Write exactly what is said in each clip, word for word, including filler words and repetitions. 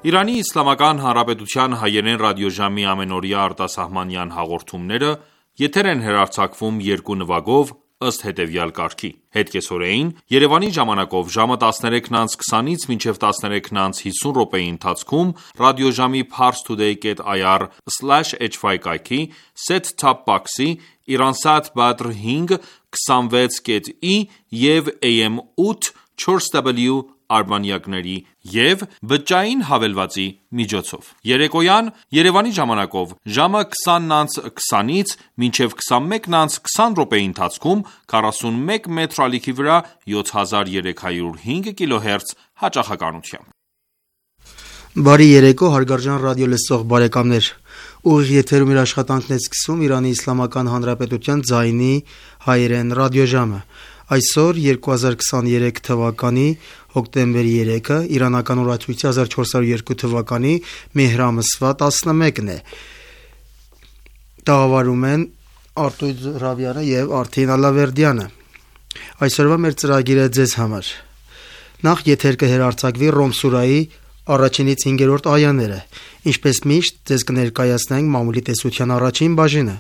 Իրանի Իսլամական Հանրապետության հայերեն ռադիոժամի ամենօրյա արտասահմանյան հաղորդումները եթեր են հեռարձակվում երկու նվագով ըստ հետևյալ կարգի: Հետկեսօրեին Երևանի ժամանակով ժամը տասներեքն անց քսանից մինչև տասներեքն անց հիսուն րոպեի ընթացքում ռադիոժամի parstoday dot i r slash h y կայքի set-top box-ի Iransat Badr հինգ քսանվեց կետ ի և A M ութ չորս W արբանյակների և բջջային հավելվածի միջոցով: Երեկոյան Երևանի ժամանակով ժամը քսանն անց քսանից մինչև քսանմեկն անց քսան րոպեի ընթացքում քառասունմեկ մետր ալիքի վրա յոթ հազար երեք հարյուր հինգ կիլոհերց հաճախականությամբ: Բարի երեկո հարգարժան ռադիոլսող բարեկամներ: Ուղիղ եթերում իր աշխատանքն է սկսում Իրանի Իսլամական Հանրապետության ձայնի հայերեն ռադիոժամը: Այսօր երկու հազար քսաներեք թվականի հոկտեմբերի երեքը, իրանական օրացույցի հազար չորս հարյուր երկու թվականի մեհր ամսվա տասնմեկն է: Տաղավարում են Արտույտ Զոհրաբյանը և Արթին Ալավերդյանը: Այսօրվա մեր ծրագիրը ձեզ համար: Նախ եթեր կհեռարձակվի Ռոմ սուրայի առաջինից հինգերորդ այաները: Ինչպես միշտ ձեզ կներկայացնենք մամուլի տեսության առաջին բաժինը: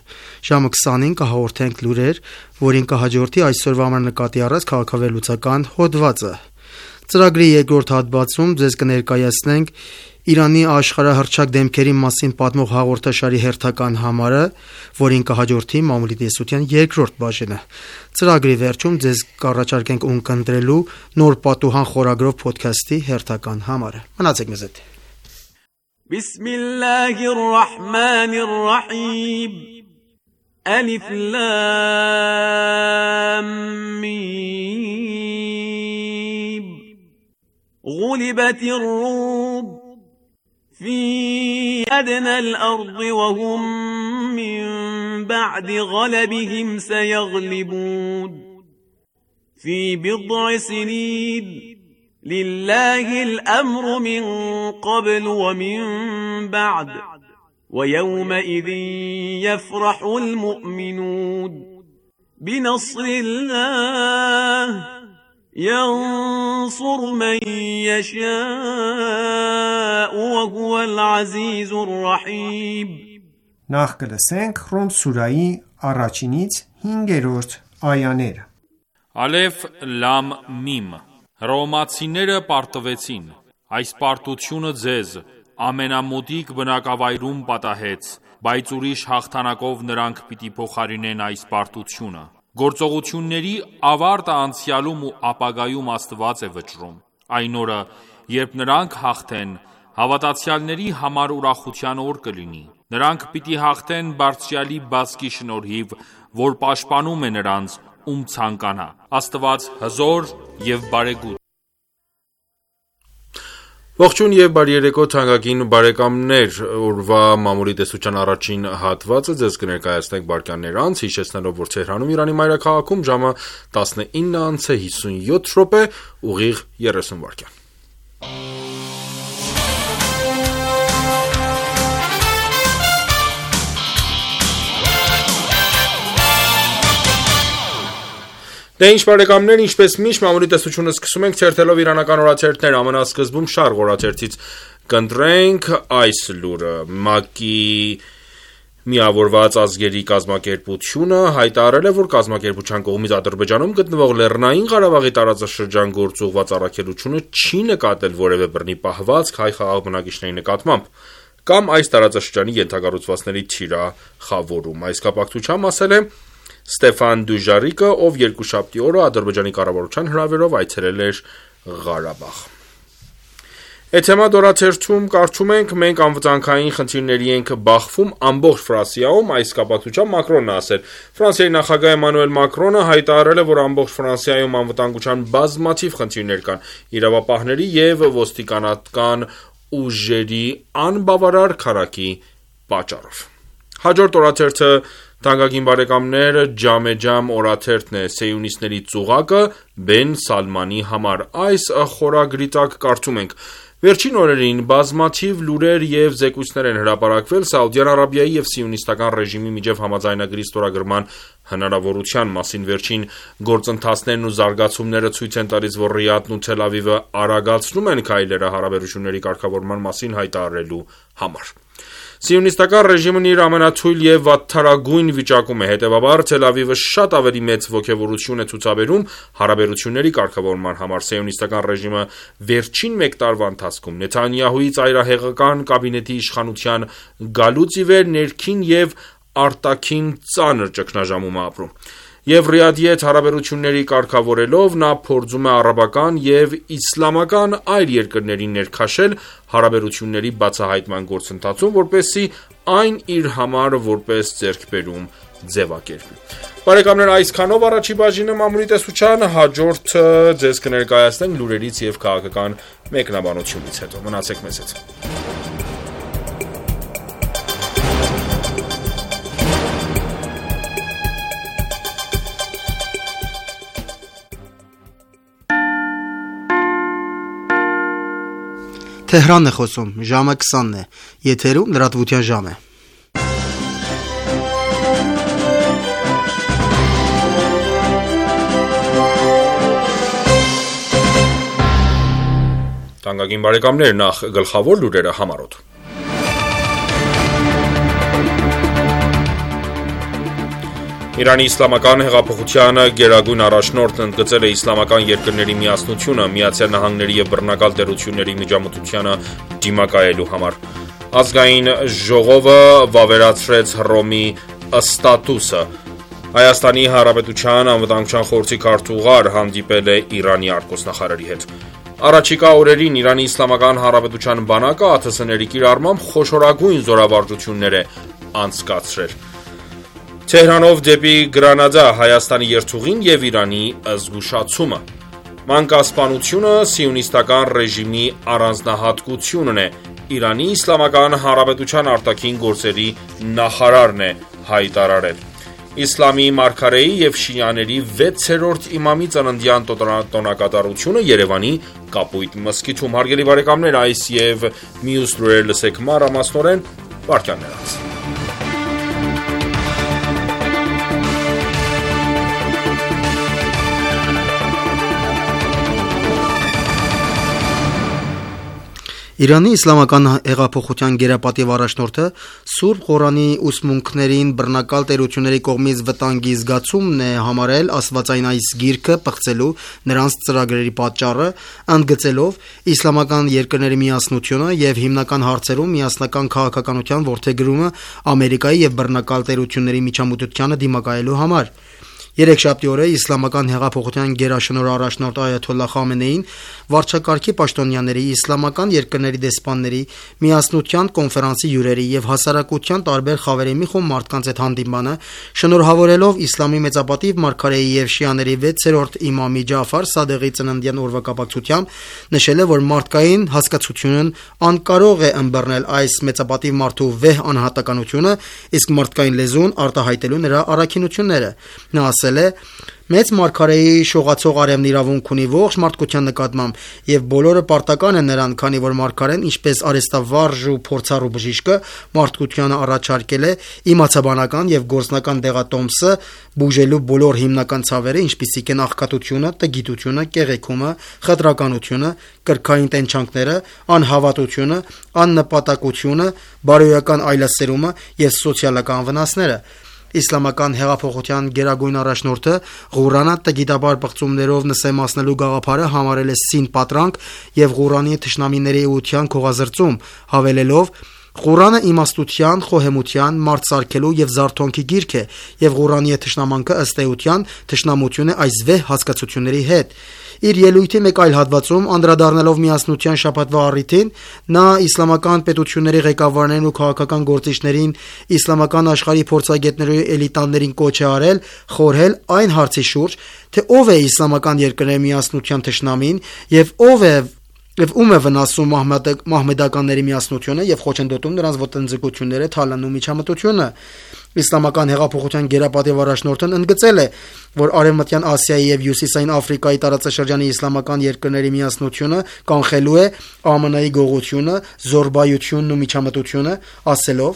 Ժամը քսանին կհաղորդենք լուրեր, որին կհաջորդի այսօրվա համար նկատի առած քաղաքավերլուծական հոդվածը: Ծրագրի երկրորդ հատվածում ձեզ կներկայացնենք Իրանի աշխարհահռչակ դեմքերի մասին պատմող հաղորդաշարի հերթական համարը, որին կհաջորդի մամուլի տեսության երկրորդ բաժինը: Ծրագրի վերջում ձեզ կառաջարկենք ունկնդրելու նոր պատուհան խորագրով փոդքասթի հերթական համարը: Մնացեք մեզ հետ: Բիսմիլլահիր ռահմանիր ռահիմ Ալիֆ լամ միմ Ղուլիբաթիր ռում في أدنى الأرض وهم من بعد غلبهم سيغلبون في بضع سنين لله الأمر من قبل ومن بعد ويومئذ يفرح المؤمنون بنصر الله ينصر من يشاء وهو العزيز الرحيم Նախ կլսենք Ռոմ սուրայի առաջինից հինգերորդ այաները: Ալեֆ լամ միմ Հռոմեացիները պարտվեցին: Այս պարտությունը ձեզ ամենամոտիկ բնակավայրում պատահեց, բայց ուրիշ հաղթանակով նրանք պիտի փոխարինեն այս պարտությունը: Գործողությունների ավարտը անցյալում ու ապագայում Աստված է վճռում: Այն օրը, երբ նրանք հաղթեն, հավատացյալների համար ուրախության օր կլինի: Նրանք պիտի հաղթեն Բարձրյալի բազկի շնորհիվ, որ պաշտպանում է նրանց, ում ցանկանա: Աստված հզոր և բարեգութ: Ողջույն և բարի երեկո թանկագին բարեկամներ: Օրվա մամուլի տեսության առաջին հատվածը ձեզ կներկայացնենք վայրկյաններ անց, հիշեցնելով, որ Թեհրանում Իրանի մայրաքաղաքում ժամը տասնինը անց է հիսունյոթ րոպե, ուղիղ երեսուն վայրկյան: Դե ինչ բարեկամներ, ինչպես միշտ մամուլի տեսությունը սկսում ենք թերթելով իրանական օրաթերթներ: Ամենասկզբում Շարղ օրաթերթից կընտրենք այս լուրը: ՄԱԿ-ի Միավորված ազգերի կազմակերպությունը հայտարարել է, որ կազմակերպության կողմից Ադրբեջանում գտնվող Լեռնային Ղարաբաղի տարածաշրջան գործուղված առաքելությունը չի նկատել որևէ բռնի պահվածք հայ խաղաղ բնակիչների նկատմամբ կամ այս տարածաշրջանի ենթակառուցվածքների թիրախավորում: Այս կապակցությամբ ասել է Ստեֆան Դյուժարիկը, ով երկուշաբթի օրը Ադրբեջանի կառավարության հրավերով այցելել էր Ղարաբաղ: Էթեմադ օրաթերթում կարդում ենք. Մենք անվտանգային խնդիրների ենք բախվում ամբողջ Ֆրանսիայում: Այս կապակցությամբ Մակրոնն է ասել: Ֆրանսիայի նախագահ Էմանուել Մակրոնը հայտարարել է, որ ամբողջ Ֆրանսիայում անվտանգության բազմաթիվ խնդիրներ կան՝ իրավապահների և ոստիկանական ուժերի անբավարար քանակի պատճառով: Հաջորդ օրաթերթը Ջամեջամ օրաթերթն է: Սիոնիստների ծուղակը Բեն Սալմանի համար: Այս խորագրի տակ կարդում ենք. Վերջին օրերին բազմաթիվ լուրեր և զեկույցներ են հրապարակվել Սաուդյան Արաբիայի և Սիոնիստական ռեժիմի միջև համաձայնագրի ստորագրման հնարավորության մասին։ Վերջին գործընթացներն ու զարգացումները ցույց են տալիս, որ Ռիադն ու Թել Ավիվը արագացնում են քայլերը հարաբերությունների կարգավորման մասին հայտարարելու համար։ Սիոնիստական ռեժիմն իր ամենաթույլ եւ վատթարագույն վիճակում է, հետեւաբար Թել Ավիվը շատ ավելի մեծ ոգևորություն է ցուցաբերում հարաբերությունների կարգավորման համար։ Սիոնիստական ռեժիմը վերջին մեկ տարվա ընթացքում Նեթանյահուի ծայրահեղական կաբինետի իշխանության գալուց ի վեր ներքին եւ արտաքին ծանր ճգնաժամում է ապրում։ Եվ Ռիադի հետ հարաբերությունների կարգավորելով նա փորձում է արաբական եւ իսլամական այլ երկրներին ներքաշել հարաբերությունների բացահայտման գործընթացում, որպեսզի այն իր համար որպես ձեռքբերում ձևակերպի։ Բարեկամներ, այսքանով առաջի բաժինը մամուլի տեսության, հաջորդը ձեզ կներկայացնենք լուրերից եւ քաղաքական մեկնաբանությունից հետո։ Մնացեք մեզ հետ։ Թեհրանն է խոսում, ժամը քսանն է, եթերում լրատվության ժամ է։ Թանկագին բարեկամներ, նախ գլխավոր լուրերը համառոտ։ Իրանի իսլամական հեղափոխության գերագույն առաջնորդն ընդգծել է իսլամական երկրների միասնությունը Միացյալ Նահանգների եւ բռնակալ տերությունների միջամտությանը դիմակայելու համար։ Ազգային ժողովը վավերացրեց Հռոմի ստատուսը։ Հայաստանի Հանրապետության անվտանգության խորհրդի քարտուղար հանդիպել է Իրանի արտգործնախարարի հետ։ Առաջիկա օրերին Իրանի Իսլամական Հանրապետության բանակը ԱԹՍ-ների կիրառմամբ խոշորագույն զորավարժություններ է անցկացրել։ Թեհրանով դեպի Գրանադա Հայաստանի երթուղին եւ Իրանի զգուշացումը։ Մանկասպանությունը սիոնիստական ռեժիմի առանձնահատկությունն է, Իրանի Իսլամական Հանրապետության արտաքին գործերի նախարարն է հայտարարել։ Իսլամի մարգարեի եւ շիաների վեցերորդ իմամի ծննդյան տոնակատարությունը Երևանի Կապույտ մզկիթում։ Հարգելի բարեկամներ, այս եւ մյուս լուրեր լսեք մանրամասնորեն վարքյաններ անց։ Իրանի իսլամական հեղափոխության գերապատիվ առաջնորդը Սուրբ Ղուրանի ուսմունքներին բռնակալ տերությունների կողմից վտանգի զգացումն է համարել աստվածային այս գիրքը պղծելու նրանց ծրագրերի պատճառը, ընդգծելով իսլամական երկրների միասնությունը եւ հիմնական հարցերում միասնական քաղաքականության որդեգրումը Ամերիկայի եւ բռնակալ տերությունների միջամտությանը դիմակայելու համար։ Երեքշաբթի օրը իսլամական հեղափոխության գերաշնորհ առաջնորդ Այաթոլլահ Խամենեին վարչակարգի պաշտոնյաների, իսլամական երկրների դեսպանների, միասնության կոնֆերանսի հյուրերի եւ հասարակության տարբեր խավերի մի խումբ մարդկանց հետ հանդիպմանը շնորհավորելով իսլամի մեծապատիվ մարգարեի եւ շիաների վեցերորդ իմամի Ջաֆար Սադեղի ծննդյան օրվա կապակցությամբ նշել է, որ մարդկային հասկացությունն անկարող է ըմբռնել այս մեծապատիվ մարդու վեհ անհատականությունը, իսկ մարդկային լեզուն արտահայտելու նրա առաքինությունները։ Նա ասել է. «Մեծ մարգարեի շողացող արևն իրավունք ունի ողջ մարդկության նկատմամբ եւ բոլորը պարտական են նրան, քանի որ մարգարեն, ինչպես արեստավարժ ու փորձառու բժիշկը, մարդկությանը առաջարկել է իմացաբանական եւ գործնական դեղատոմսը բուժելու բոլոր հիմնական ցավերը, ինչպիսիք են աղքատությունը, տգիտությունը, կեղեքումը, խտրականությունը, կրքային տենչանքները, անհավատությունը, աննպատակությունը, բարոյական այլասերումը եւ սոցիալական վնասները»։ Իսլամական հեղափոխության գերագույն առաջնորդը Ղուրանը տգիտաբար բղծումներով նսեմացնելու գաղափարը համարել է սին պատրանք եւ Ղուրանի թշնամիների էության քողազրծում, հավելելով. «Ղուրանը իմաստության, խոհեմության, մարդ սարքելու եւ զարթոնքի գիրք է, եւ Ղուրանի թշնամանքը ըստ էության թշնամություն է այս վեհ հասկացությունների հետ»։ Իր ելույթի մեկ այլ հատվածում, անդրադառնալով միասնության շաբաթվա առիթին, նա իսլամական պետությունների ղեկավարներին ու քաղաքական գործիչներին, իսլամական աշխարհի փորձագետների էլիտաներին կոչ է արել խորհել այն հարցի շուրջ, թե ով է իսլամական երկրների միասնության թշնամին եւ ով է եւ ում է վնասում մահմեդականների միասնությունը եւ խոչընդոտում նրանց ոտնձգությունները, թալանում միջամտությունը։ Իսլամական հեղափոխության գերապատիվ առաջնորդն ընդգծել է, որ Արևմտյան Ասիայի եւ Հյուսիսային Աֆրիկայի տարածաշրջանի իսլամական երկրների միասնությունը կանխելու է ԱՄՆ-ի գողությունը, զորբայությունն ու միջամտությունը, ասելով.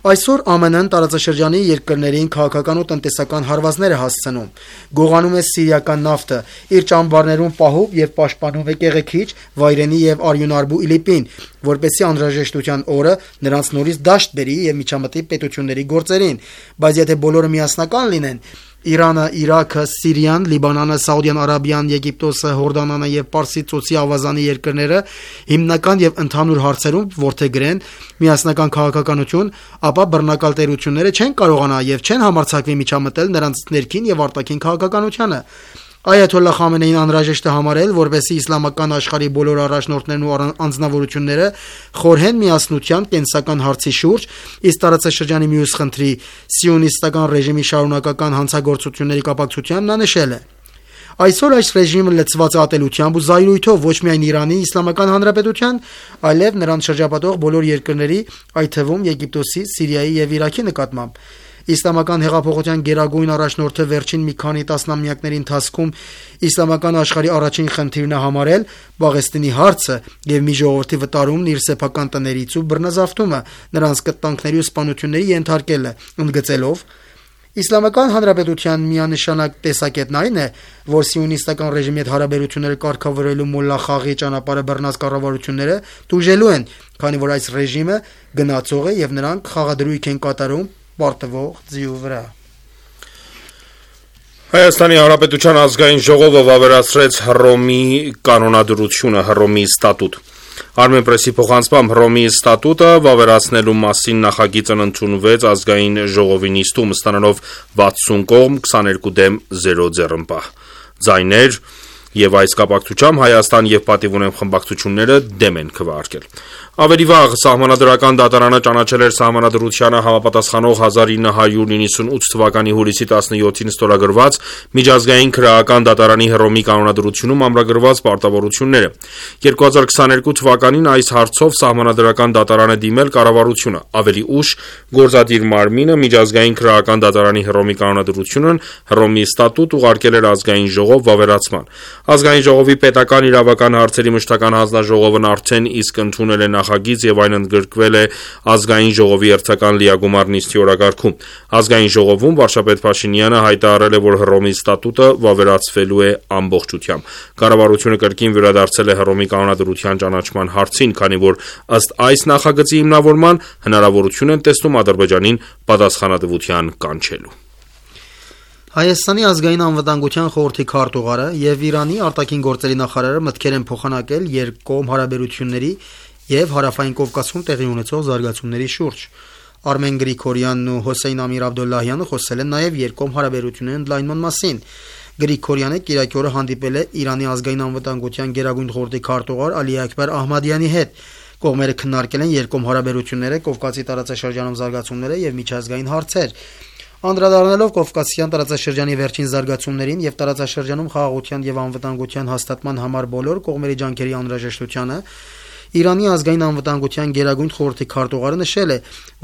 Այսօր ԱՄՆ-ն տարածաշրջանի երկրներին քաղաքական ու տնտեսական հարվածներ է հասցնում, գողանում է սիրիական նավթը, իր ճամբարներում պահում եւ պաշտպանում է կեղեքիչ, վայրենի եւ արյունարբու Իլիպին, որպեսզի անհրաժեշտության օրը նրանց նորից դաշտ բերի եւ միջամտի պետությունների գործերին, բայց եթե բոլորը միասնական լինեն, Իրանը, Իրաքը, Սիրիան, Լիբանանը, Սաուդյան Արաբիան, Եգիպտոսը, Հորդանանը եւ Պարսից ծոցի ավազանի երկրները հիմնական եւ ընդհանուր հարցերում որդեգրեն միասնական քաղաքականություն, ապա բռնակալ տերությունները չեն կարողանա եւ չեն համարձակվի միջամտել նրանց ներքին եւ արտաքին քաղաքականությանը։ Այաթոլլահ Խամենեին անհրաժեշտ է համարել, որպեսզի իսլամական աշխարհի բոլոր առաջնորդներն ու անձնավորությունները խորհեն միասնության կենսական հարցի շուրջ, իսկ տարածաշրջանի մյուս խնդրի սիոնիստական ռեժիմի շարունակական հանցագործությունների կապակցությամբ նա նշել է. Այսօր այս ռեժիմը լցված է ատելությամբ ու զայրույթով ոչ միայն Իրանի Իսլամական Հանրապետության, այլև նրան շրջապատող բոլոր երկրների, այդ թվում Եգիպտոսի, Սիրիայի եւ Իրաքի նկատմամբ։ Իսլամական հեղափոխության գերագույն առաջնորդը վերջին մի քանի տասնամյակների ընթացքում իսլամական աշխարհի առաջին խնդիրն է համարել Պաղեստինի հարցը եւ մի ժողովրդի վտարումն իր սեփական տներից ու բռնազավթումը, նրանց կտանքների ու սպանությունների ենթարկելը, ընդգծելով. Իսլամական Հանրապետության միանշանակ տեսակետն այն է, որ սիոնիստական ռեժիմի հետ հարաբերությունները կարգավորելու մոլլա խաղի ճանապարհը բռնած կառավարությունները տուժելու են, քանի որ այս ռեժիմը գնացող է եւ նրանք խաղադրույք են կատարում պարտվող ձիու վրա։ Հայաստանի Հանրապետության ազգային ժողովը վավերացրեց Հռոմի կանոնադրությունը, Հռոմի ստատուտ։ Armenpress-ի փոխանցմամբ Հռոմի ստատուտը վավերացնելու մասին նախագիծն ընդունվեց ազգային ժողովի նիստում, ստանալով վաթսուն կողմ, քսաներկու դեմ զերո ձեռնպահ։ Ձայներ եւ այս կապակցությամբ Հայաստան եւ Պատիվ ունեմ խմբակցությունները դեմ են քվեարկել։ Ավելի վաղ Սահմանադրական դատարանը ճանաչել էր Սահմանադրությանը համապատասխանող հազար ինը հարյուր նվաթ թվականի հուլիսի տասնյոթին ստորագրված Միջազգային քրեական դատարանի Հռոմի կանոնադրությունում ամրագրված պարտավորությունները։ երկու հազար քսաներկու թվականին այս հարցով Սահմանադրական դատարանը դիմել կառավարությունը։ Ավելի ուշ գործադիր մարմինը Միջազգային քրեական դատարանի Հռոմի կանոնադրությունն Հռոմի ստատուտ ուղարկել էր ազգային ժողով վավերացման։ Ազգային ժողովի պետական իրավական հարցերի մշտական հանձնաժողովն արդեն իսկ ընդունել է նախագիծ եւ այն ընդգրկվել է ազգային ժողովի հերթական լիագումար նիստի օրակարգում։ Ազգային ժողովում վարչապետ Փաշինյանը հայտարարել է, որ Հռոմի ստատուտը վավերացվելու է ամբողջությամբ։ Կառավարությունը կրկին վերադարձել է Հռոմի կանոնադրության ճանաչման հարցին, քանի որ ըստ այս նախագծի հիմնավորման հնարավորություն են տեսնում Ադրբեջանին պատասխանատվության կանչելու։ Հայաստանի ազգային անվտանգության խորհրդի քարտուղարը եւ Իրանի արտաքին գործերի նախարարը մտքեր են փոխանակել երկկողմ հարաբերությունների եւ Հարավային Կովկասում տեղի ունեցող զարգացումների շուրջ։ Արմեն Գրիգորյանն ու Հոսեյն Ամիր Աբդոլլահյանը խոսել են նաեւ երկկողմ հարաբերությունների ընդլայնման մասին։ Գրիգորյանը կիրակի օրը հանդիպել է Իրանի ազգային անվտանգության գերագույն խորհրդի քարտուղար Ալի Աքբար Ահմադյանի հետ։ Կողմերը քննարկել են երկկողմ հարաբերությունները, Կովկասի տարածաշրջանում զարգացումները եւ միջազգային հարցեր։ Անդրադառնալով Կովկասյան տարածաշրջանի վերջին զարգացումներին եւ տարածաշրջանում խաղաղության եւ անվտանգության հաստատման համար բոլոր կողմերի ջանքերի անհրաժեշտությանը, Իրանի ազգային անվտանգության գերագույն խորհրդի քարտուղարը նշել է,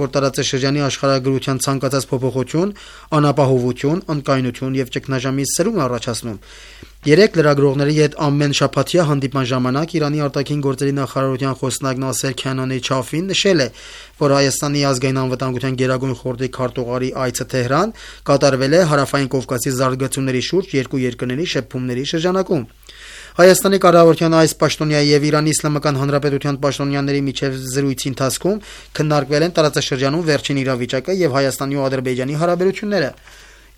որ տարածաշրջանի աշխարհագրության ցանկացած փոփոխություն, անապահովություն, անկայունություն եւ ճգնաժամի սրում է առաջացնում։ Երեք լրագրողների հետ ամեն շաբաթյա հանդիպման ժամանակ Իրանի արտաքին գործերի նախարարության խոսնակ Նասեր Քանանի Չաֆին նշել է, որ Հայաստանի ազգային անվտանգության գերագույն խորհրդի քարտուղարի այցը Թեհրան կատարվել է Հարավային Կովկասի զարգացումների շուրջ երկու երկրների շփումների շրջանակում։ Հայաստանի կառավարության այս պաշտոնյայի եւ Իրանի Իսլամական Հանրապետության պաշտոնյաների միջև զրույցի ընթացքում քննարկվել են տարածաշրջանում վերջին իրավիճակը եւ Հայաստանի ու Ադրբեջանի հարաբերությունները։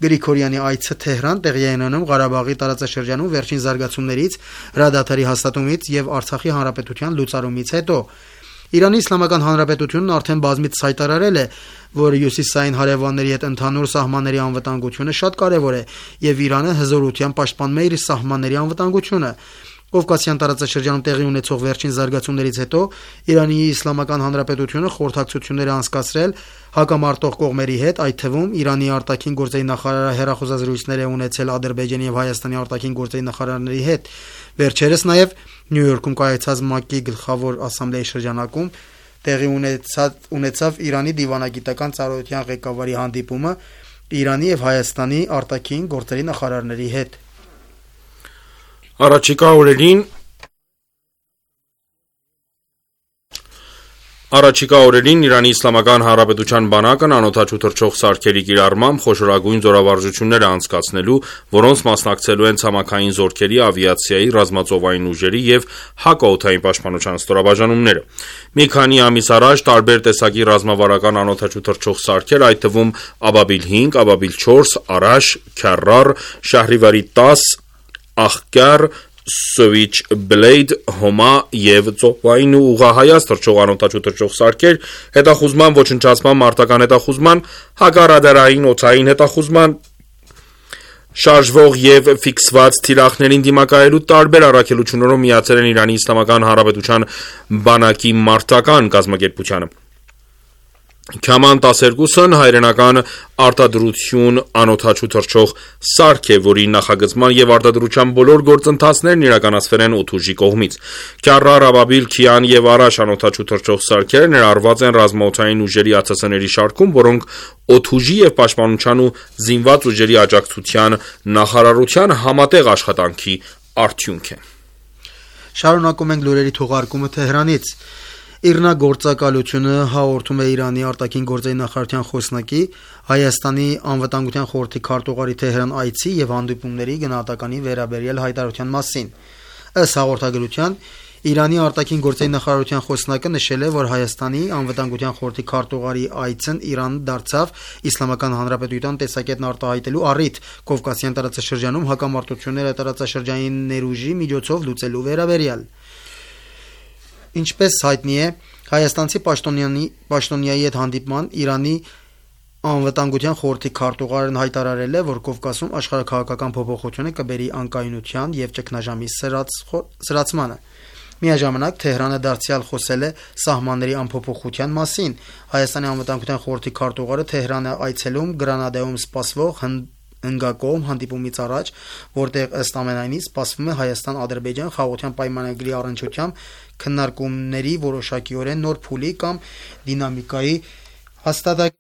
Գրիգորյանի այցը Թեհրան տեղի է ունենում Ղարաբաղի տարածաշրջանում վերջին զարգացումներից, հրադադարի հաստատումից եւ Արցախի հանրապետության լուծարումից հետո։ Իրանի Իսլամական Հանրապետությունն արդեն բազմիցս հայտարարել է, որ հյուսիսային հարևանների հետ ընդհանուր սահմանների անվտանգությունը շատ կարևոր է եւ Իրանը հզորությամբ պաշտպանում է իր սահմանների անվտանգությունը։ Կովկասյան տարածաշրջանում տեղի ունեցող վերջին զարգացումներից հետո Իրանի Իսլամական Հանրապետությունը խորհրդակցություններ է անցկացրել հակամարտող կողմերի հետ, այդ թվում Իրանի արտաքին գործերի նախարարը հերախոսազրույցներ է ունեցել Ադրբեջանի եւ Հայաստանի արտաքին գործերի նախարարների հետ։ Վերջերս նաեւ Նյու Յորքում կայացած ՄԱԿ-ի գլխավոր ասամբլեի շրջանակում տեղի ունեցած ունեցավ Իրանի դիվանագիտական ծառայության ղեկավարի հանդիպումը Իրանի եւ Հայաստանի արտաքին գործերի նախարարների հետ։ Առաջիկա օրերին Առաջիկա օրերին Իրանի Իսլամական Հանրապետության բանակն անօդաչու թռչող սարքերի կիրառմամբ խոշորագույն զորավարժություններ է անցկացնելու, որոնց մասնակցելու են ցամաքային զորքերի, ավիացիայի, ռազմածովային ուժերի եւ հակաօդային պաշտպանության ստորաբաժանումները։ Մի քանի ամիս առաջ տարբեր տեսակի ռազմավարական անօդաչու թռչող սարքեր, այդ թվում Աբաբիլ հինգ, Աբաբիլ չորս, Արաշ, Քարար, Շահրիվարի տաս, Ախկար, Switchblade, Հոմա եւ ծովային ու ուղղահայաց թռչող անօդաչու թռչող սարքեր հետախուզման, ոչնչացման, մարտական հետախուզման, հակառադարային օդային հետախուզման, շարժվող եւ ֆիքսված թիրախներին դիմակայելու տարբեր առաքելություններով միացել են Իրանի Իսլամական Հանրապետության բանակի մարտական կազմակերպությանը։ Քաման տասներկուսն հայրենական արտադրություն անօդաչու թռչող սարք է, որի նախագծման եւ արտադրության բոլոր գործընթացներն իրականացվել են օդուժի կողմից։ Քարար, Աբաբիլ, Քիան եւ Արաշ անօդաչու թռչող սարքերը ներառված են ռազմաօդային ուժերի ԱՑՍ-ների շարքում, որոնք օդուժի եւ պաշտպանության ու զինված ուժերի աջակցության նախարարության համատեղ աշխատանքի արդյունք են։ Շարունակում ենք լուրերի թողարկումը Թեհրանից։ Իռնագործակալությունը հաղորդում է Իրանի արտաքին գործերի նախարարության խոսնակի Հայաստանի անվտանգության խորհրդի քարտուղարի Թեհրան այցի եւ հանդիպումների գնահատականի վերաբերյալ հայտարարության մասին։ Ըստ հաղորդագրության Իրանի արտաքին գործերի նախարարության խոսնակը նշել է, որ Հայաստանի անվտանգության խորհրդի քարտուղարի այցն Իրան դարձավ Իսլամական Հանրապետության տեսակետն արտահայտելու առիթ Կովկասյան տարածաշրջանում հակամարտությունները տարածաշրջանային ներուժի միջոցով լուծելու վերաբերյալ։ Ինչպես հայտնի է, հայաստանցի պաշտոնյանի պաշտոնյայի հետ հանդիպման Իրանի անվտանգության խորհրդի քարտուղարն հայտարարել է, որ Կովկասում աշխարհաքաղաքական փոփոխությունը կբերի անկայունության եւ ճգնաժամի սրացմանը։ Միաժամանակ Թեհրանը դարձյալ խոսել է սահմանների անփոփոխության մասին։ Հայաստանի անվտանգության խորհրդի քարտուղարը Թեհրան է այցելում Գրանադայում սպասվող հնգակողմ հանդիպումից առաջ, որտեղ ըստ ամենայնի սպասվում է Հայաստան-Ադրբեջան խաղաղության պայմանագրի առնչությամբ քննարկումների որոշակիորեն նոր փուլի կամ դինամիկայի հաստատակ։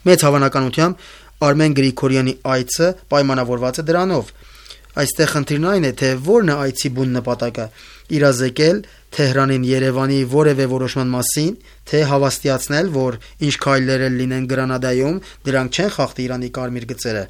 Մեծ հավանականությամբ Արմեն Գրիգորյանի այցը պայմանավորված է դրանով։ Այստեղ խնդիրն այն է, թե որն է այցի բուն նպատակը՝ իրազեկել Թեհրանին Երևանի որևէ որոշման մասին, թե հավաստիացնել, որ ինչ քայլեր լինեն Գրանադայում, դրանք չեն խախտի Իրանի կարմիր գծերը։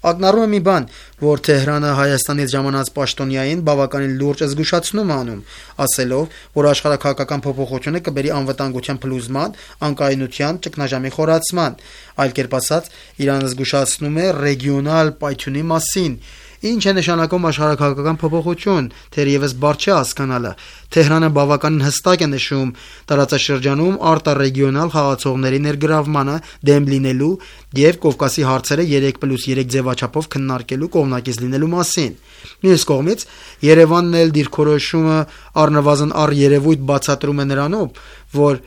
Ակնառու է մի բան, որ Թեհրանը Հայաստանից ժամանած պաշտոնյային բավականին լուրջ զգուշացնում անում, ասելով, որ աշխարհաքաղաքական փոփոխությունը կբերի անվտանգության փլուզման, անկայունության, ճգնաժամի խորացման։ Այլ կերպ ասած, Իրանը զգուշացնում է ռեգիոնալ պայթյունի մասին։ Ինչ է նշանակում աշխարհաքաղաքական փոփոխություն, թերևս բարդ չէ հասկանալը։ Թեհրանը բավականին հստակ է նշում տարածաշրջանում արտառեգիոնալ խաղացողների ներգրավմանը դեմ լինելու եւ Կովկասի հարցերը երեք պլյուս երեք ձևաչափով քննարկելու կողմնակից լինելու մասին։ Մյուս կողմից Երևանն էլ դիրքորոշումը առնվազն առ երևույթ բացատրում է նրանով, որ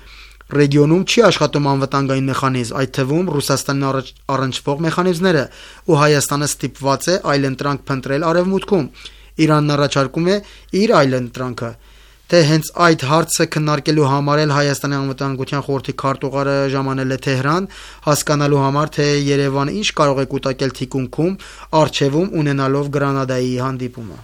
ռեգիոնում չի աշխատում անվտանգային մեխանիզմ, այդ թվում Ռուսաստանին առնչվող մեխանիզմները, ու Հայաստանը ստիպված է այլընտրանք փնտրել արևմուտքում։ Իրանն առաջարկում է իր այլընտրանքը։ Թե հենց այդ հարցը քննարկելու համար էլ Հայաստանի անվտանգության խորհրդի քարտուղարը ժամանել է Թեհրան, հասկանալու համար, թե Երևանը ինչ կարող է կուտակել թիկունքում, առջևում ունենալով Գրանադայի հանդիպումը։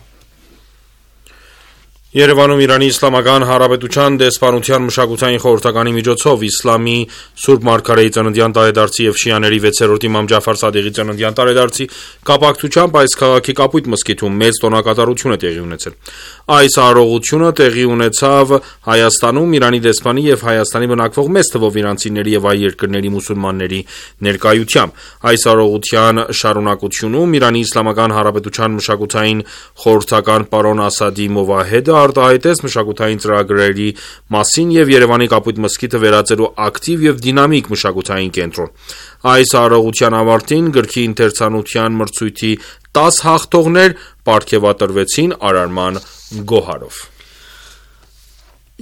Երևանում Իրանի Իսլամական Հանրապետության դեսպանության մշակութային խորհրդականի միջոցով իսլամի Սուրբ Մարգարեի ծննդյան տարեդարձի եւ շիաների վեցերորդ իմամ Ջաֆար Սադիղի ծննդյան տարեդարձի կապակցությամբ այս քաղաքի Կապույտ մզկիթում մեծ տոնակատարություն է տեղի ունեցել։ Այս արարողությունը տեղի ունեցավ Հայաստանում Իրանի դեսպանի եւ Հայաստանի բնակվող մեծ թվով իրանցիների եւ այլ երկրների մուսուլմանների ներկայությամբ։ Այս արարողության շարունակությունում Իրանի Իսլամական Հանրապետության մշակութային խորհրդական պարոն Ասադի Մովահեդը արտահայտեց մշակութային ծրագրերի մասին եւ Երևանի Կապույտ մզկիթը վերածելու ակտիվ եւ դինամիկ մշակութային կենտրոն։ Այս արարողության ավարտին գրքի ընթերցանության մրցույթի տաս հաղթողներ պարգևատրվեցին արարման գոհարով։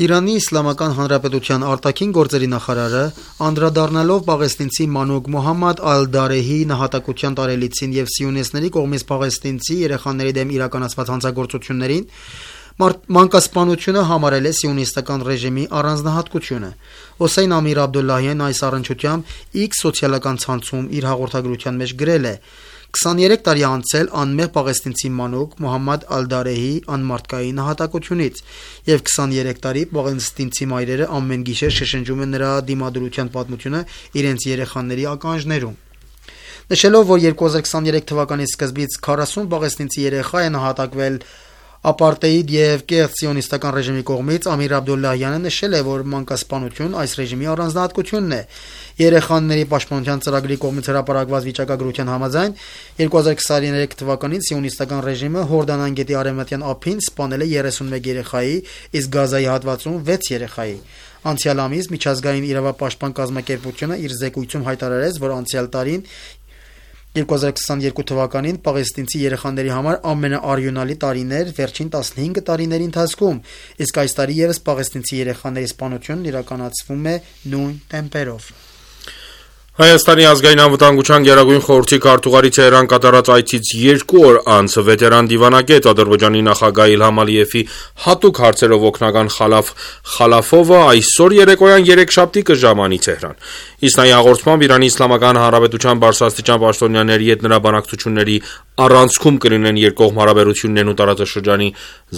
Իրանի Իսլամական Հանրապետության արտաքին գործերի նախարարը, անդրադառնալով պաղեստինցի մանուկ Մոհամմադ Ալ-Դարեհի նահատակության տարելիցին եւ սիոնիստների կողմից պաղեստինցի երեխաների դեմ իրականացված հանցագործություններին, մանկասպանությունը համարել է սիոնիստական ռեժիմի առանձնահատկությունը։ Հոսեյն Ամիր Աբդուլլահյան այս առնչությամբ X սոցիալական ցանցում իր հաղորդագրության մեջ գրել է. քսաներեք տարի անցել անմեղ պաղեստինցի մանուկ Մոհամմադ Ալ-Դարեհի անմարդկային նահատակությունից եւ քսաներեք տարի պաղեստինցի մայրերը ամեն գիշեր շշնջում են նրա դիմադրության պատմությունը իրենց երեխաների ականջներում։ Նշելով, որ երկու հազար քսաներեք թվականի սկզբից քառասուն պաղեստինցի երեխա է նահատակվել ապարտեիդ եւ կեղծ սիոնիստական ռեժիմի կողմից, Ամիր Աբդոլլահյանը նշել է, որ մանկասպանություն այս ռեժիմի առանձնահատկությունն է։ Երեխաների պաշտպանության ծրագրի կողմից հրապարակված վիճակագրության համաձայն երկու հազար քսաներեք թվականին սիոնիստական ռեժիմը Հորդանան գետի արևմտյան ափին սպանել է երեսունմեկ երեխայի, իսկ Գազայի հատվածում վեց երեխայի։ Անցյալ ամիս միջազգային իրավապաշտպան կազմակերպությունը իր զեկույցում հայտարարեց, որ անցյալ տարին երկու հազար քսաներկու թվականին պաղեստինցի երեխաների համար ամենաարյունալի տարին էր վերջին տասնհինգ տարիների ընթացքում, իսկ այս տարի ևս պաղեստինցի երեխաների սպանությունն իրականացվում է նույն տեմպերով։ Հայաստանի ազգային անվտանգության գերագույն խորհրդի քարտուղարի Թեհրան կատարած այցից երկու օր անց վետերան դիվանագետ Ադրբեջանի նախագահ Իլհամ Ալիևի հատուկ հարցերով օգնական Խալաֆ Խալաֆովը այսօր երեկոյան երեքշաբթի կժամանի Թեհրան։ Իսնայի հաղորդմամբ Իրանի Իսլամական Հանրապետության բարձրաստիճան պաշտոնյաների հետ նրա բանակցությունների առանցքում կլինեն երկկողմ հարաբերություններն ու տարածաշրջանի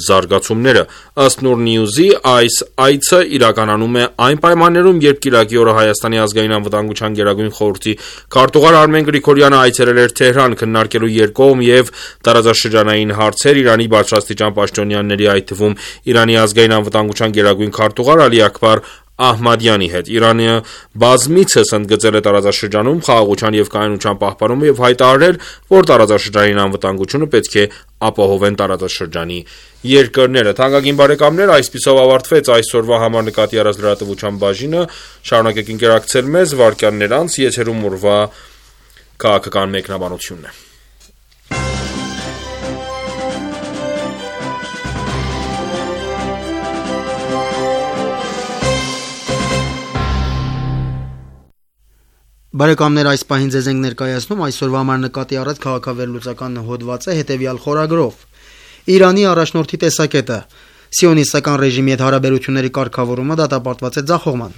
զարգացումները։ Ըստ Նուր Նյուզի, այս այցը իրականանում է այն պայմաններում, երբ կիրակի օրը Հայաստանի ազգային անվտանգության գերագույն խորհրդի քարտուղար Արմեն Գրիգորյանը այցելել էր Թեհրան քննարկելու երկկողմ եւ տարածաշրջանային հարցեր Իրանի բարձրաստիճան պաշտոնյաների, այդ թվում Իրանի ազգային անվտանգության գերագույն քարտուղար Ալի Աքբար Ահմադյանի հետ։ Իրանը բազմիցս ընդգծել է տարածաշրջանում խաղաղության եւ կայունության պահպանումը եւ հայտարարել, որ տարածաշրջանային անվտանգությունը պետք է ապահովեն տարածաշրջանի երկրները։ Թանկագին բարեկամներ, այսպիսով ավարտվեց այսօրվա համար նկատի առած լրատվության բաժինը։ Շարունակեք ինտերակցիալ մեզ վարքյաններ անց, եթերում ուրվա քաղաքական մեկնաբանությունն է։ Բարեկամներ, այս պահին ձեզ ենք ներկայացնում այսօրվա համար նկատի առած քաղաքավերլուծական հոդվածը հետևյալ խորագրով։ Իրանի առաջնորդի տեսակետը. Սիոնիստական ռեժիմի հետ հարաբերությունների կարգավորումը դատապարտված է ձախողման։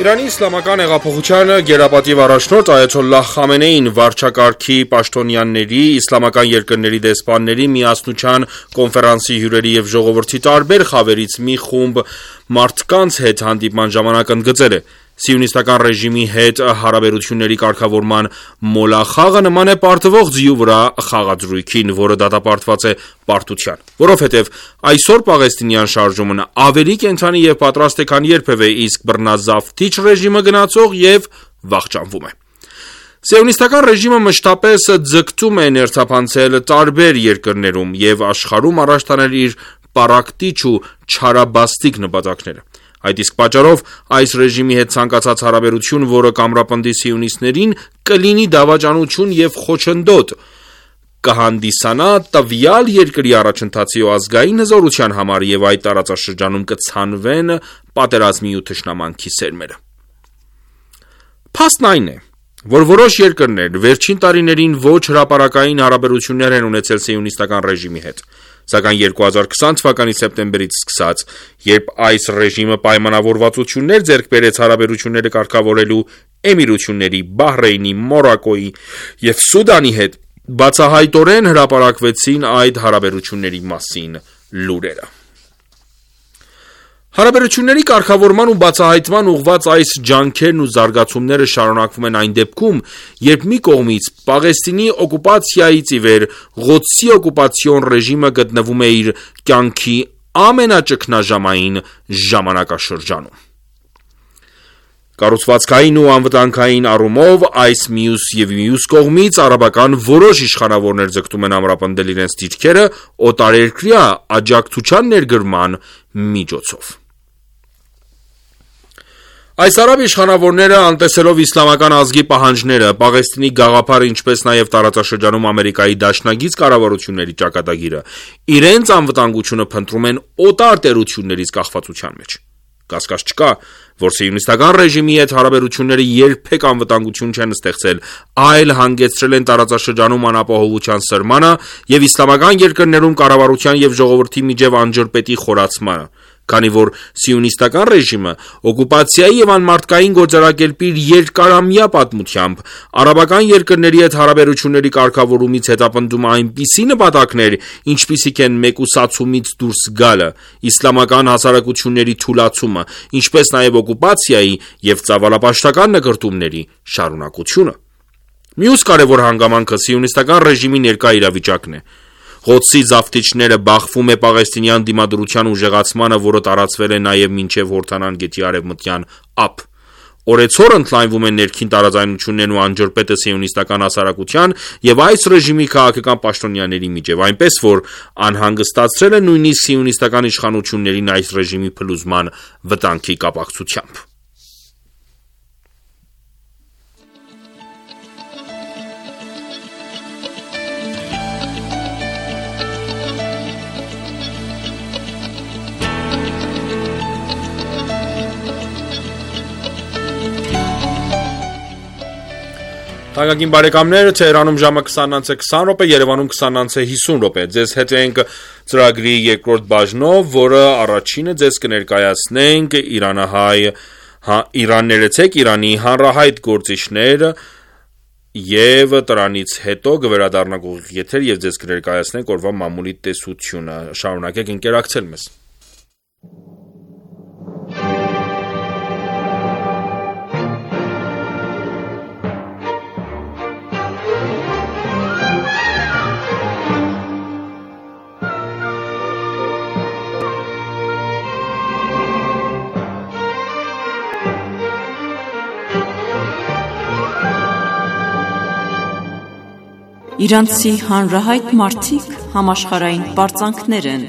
Իրանի իսլամական հեղափոխության գերապատիվ առաջնորդ Այաթոլլահ Խամենեին վարչակարգի պաշտոնյաների, իսլամական երկրների դեսպանների միասնության կոնֆերանսի հյուրերի եւ ժողովրդի տարբեր խավերից մի խումբ մարդկանց հետ հանդիպման ժամանակ ընդգծել է. Սիոնիստական ռեժիմի հետ հարաբերությունների կարգավորման մոլախաղը նման է պարտվող ձիու վրա խաղադրույքին, որը դատապարտված է պարտության, որովհետև այսօր պաղեստինյան շարժումն ավելի կենդանի եւ պատրաստ է, քան երբևէ, իսկ բռնազավթիչ ռեժիմը գնացող եւ վախճանվում է։ Սիոնիստական ռեժիմը մշտապես ձգտում է ներթափանցել տարբեր երկրներում եւ աշխարհում առաջ տանել իր պարակտիչ ու չարաբաստիկ նպատակները։ Այդ իսկ պատճառով այս ռեժիմի հետ ցանկացած հարաբերություն, որը կամրապնդի սիոնիստներին, կլինի դավաճանություն եւ խոչընդոտ, կհանդիսանա տվյալ երկրի առաջընթացի ու ազգային հզորության համար եւ այդ տարածաշրջանում կցանվեն պատերազմի ու թշնամանքի սերմերը։ Փաստն այն է, որ որոշ երկրներ վերջին տարիներին ոչ հրապարակային հարաբերություններ են ունեցել սիոնիստական ռեժիմի հետ, սակայն երկու հազար քսան թվականի սեպտեմբերից սկսած, երբ այս ռեժիմը պայմանավորվածություններ ձեռք բերեց հարաբերությունները կարգավորելու Էմիրությունների, Բահրեյնի, Մորոկոյի եւ Սուդանի հետ, բացահայտորեն հրապարակվեցին այդ հարաբերությունների մասին լուրերը։ Հարաբերությունների կարգավորման ու բացահայտման ուղղված այս ջանքերն ու զարգացումները շարունակվում են այն դեպքում, երբ մի կողմից Պաղեստինի օկուպացիայից ի վեր Ղոդսի օկուպացիոն ռեժիմը գտնվում է իր կյանքի ամենաճգնաժամային ժամանակաշրջանում։ Կառուցվածքային ու անվտանգային առումով այս մյուս եւ մյուս կողմից արաբական որոշ իշխանավորներ ձգտում են ամրապնդել իրենց դիրքերը օտարերկրյա աջակցության ներգրման միջոցով։ Այս արաբ իշխանավորները, անտեսելով իսլամական ազգի պահանջները, Պաղեստինի գաղափարը, ինչպես նաև տարածաշրջանում Ամերիկայի դաշնագից կառավարությունների ճակատագիրը, իրենց անվտանգությունը փնտրում են օտար տերություններից կախվածության մեջ։ Կասկած չկա, որ սիոնիստական ռեժիմի հետ հարաբերությունները երբեք անվտանգություն չեն ստեղծել, այլ հանգեցրել են տարածաշրջանում անապահովության սրմանը և իսլամական երկրներում կառավարության և ժողովրդի միջև անջրպետի խորացմանը, քանի որ սիոնիստական ռեժիմը օկուպացիայի և անմարդկային գործելակերպի երկարամյա պատմությամբ արաբական երկրների հետ հարաբերությունների կարգավորումից հետապնդում է այնպիսի նպատակներ, ինչպիսիք են մեկուսացումից դուրս գալը, իսլամական հասարակությունների թուլացումը, ինչպես նաև օկուպացիայի և ծավալապաշտական նկրտումների շարունակությունը։ Մյուս կարևոր հանգամանքը սիոնիստական ռեժիմի ներկա իրավիճակն է։ Ղոդսի զավթիչները բախվում է պաղեստինյան դիմադրության ուժեղացմանը, որը տարածվել է նաև մինչև Հորդանան գետի արևմտյան ափ։ Օրեցօր ընդլայնվում են ներքին տարաձայնություններն ու անջրպետը սիոնիստական հասարակության և այս ռեժիմի քաղաքական պաշտոնյաների միջև, այնպես որ անհանգստացրել է նույնիսկ սիոնիստական իշխանություններին այս ռեժիմի փլուզման վտանգի կապակցությամբ։ Թանկագին բարեկամներ, Թեհրանում ժամը քսանից քսան րոպե, Երևանում քսանից հիսուն րոպե։ Ձեզ հետ ենք ծրագրի երկրորդ բաժնով, որը առաջինը ձեզ կներկայացնենք իրանահայ Իրան ներեցեք Իրանի հանրահայտ գործիչներ եւ դրանից հետո կվերադառնանք ուղիղ եթեր եւ ձեզ կներկայացնենք օրվա մամուլի տեսությունը։ Շարունակեք ընկերակցել մեզ։ Իրանցի հանրահայտ մարդիկ համաշխարհային պարծանքներ են։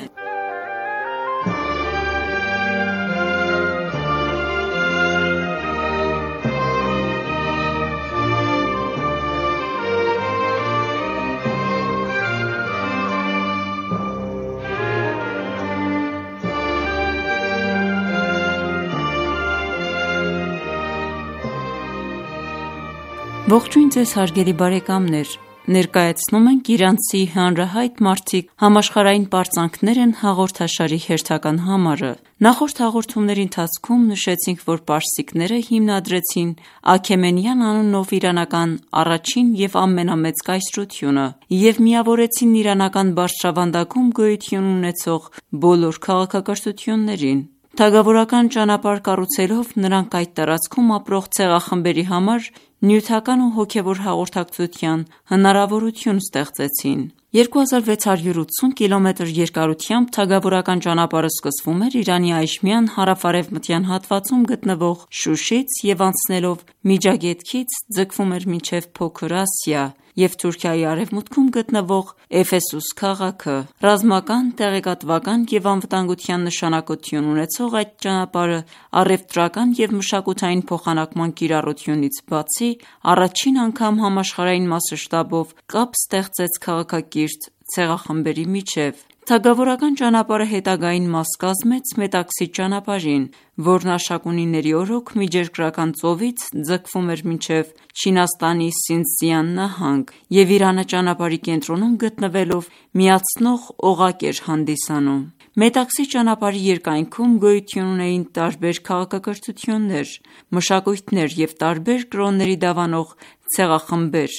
Ողջույն ձեզ հարգելի բարեկամներ։ Ներկայացնում ենք իրանցի հանրահայտ մարդիկ համաշխարհային պարծանքներ են հաղորդաշարի հերթական համարը։ Նախորդ հաղորդումների ընթացքում նշեցինք, որ պարսիկները հիմնադրեցին Աքեմենյան անունով իրանական առաջին և ամենամեծ կայսրությունը և միավորեցին իրանական բարձրավանդակում գոյություն ունեցող բոլոր քաղաքակրթություններին։ Թագավորական ճանապարհ կառուցելով նրանք այդ տարածքում ապրող ցեղախմբերի համար նյութական ու հոգևոր հաղորդակցության հնարավորություն ստեղծեցին։ երկու հազար վեց հարյուր ութսուն կիլոմետր երկարությամբ թագավորական ճանապարհը սկսվում էր Իրանի այժմյան հարավ-արևմտյան հատվածում գտնվող Շուշից և անցնելով Միջագետքից ձգվում էր մինչև Փոքր Ասիա և Թուրքիայի արևմուտքում գտնվող Էֆեսուս քաղաքը։ Ռազմական, տեղեկատվական և անվտանգության նշանակություն ունեցող այդ ճանապարհը առևտրական և մշակութային փոխանակման կիրառությունից բացի, առաջին անգամ համաշխարհային մասշտաբով կապ ստեղծեց քաղաքակիրթ ցեղախմբերի միջև։ Թագավորական ճանապարհը հետագային մաս կազմեց Մետաքսի ճանապարհին, որն Աշակունիների օրոք Միջերկրական ծովից ձգվում էր մինչև Չինաստանի Սինձյան նահանգ և Իրանը ճանապարհի կենտրոնում գտնվելով միացնող օղակ էր հանդիսանում։ Մետաքսի ճանապարհի երկայնքում գոյություն ունեին տարբեր քաղաքակրթություններ, մշակույթներ և տարբեր կրոնների դավանող ցեղախմբեր,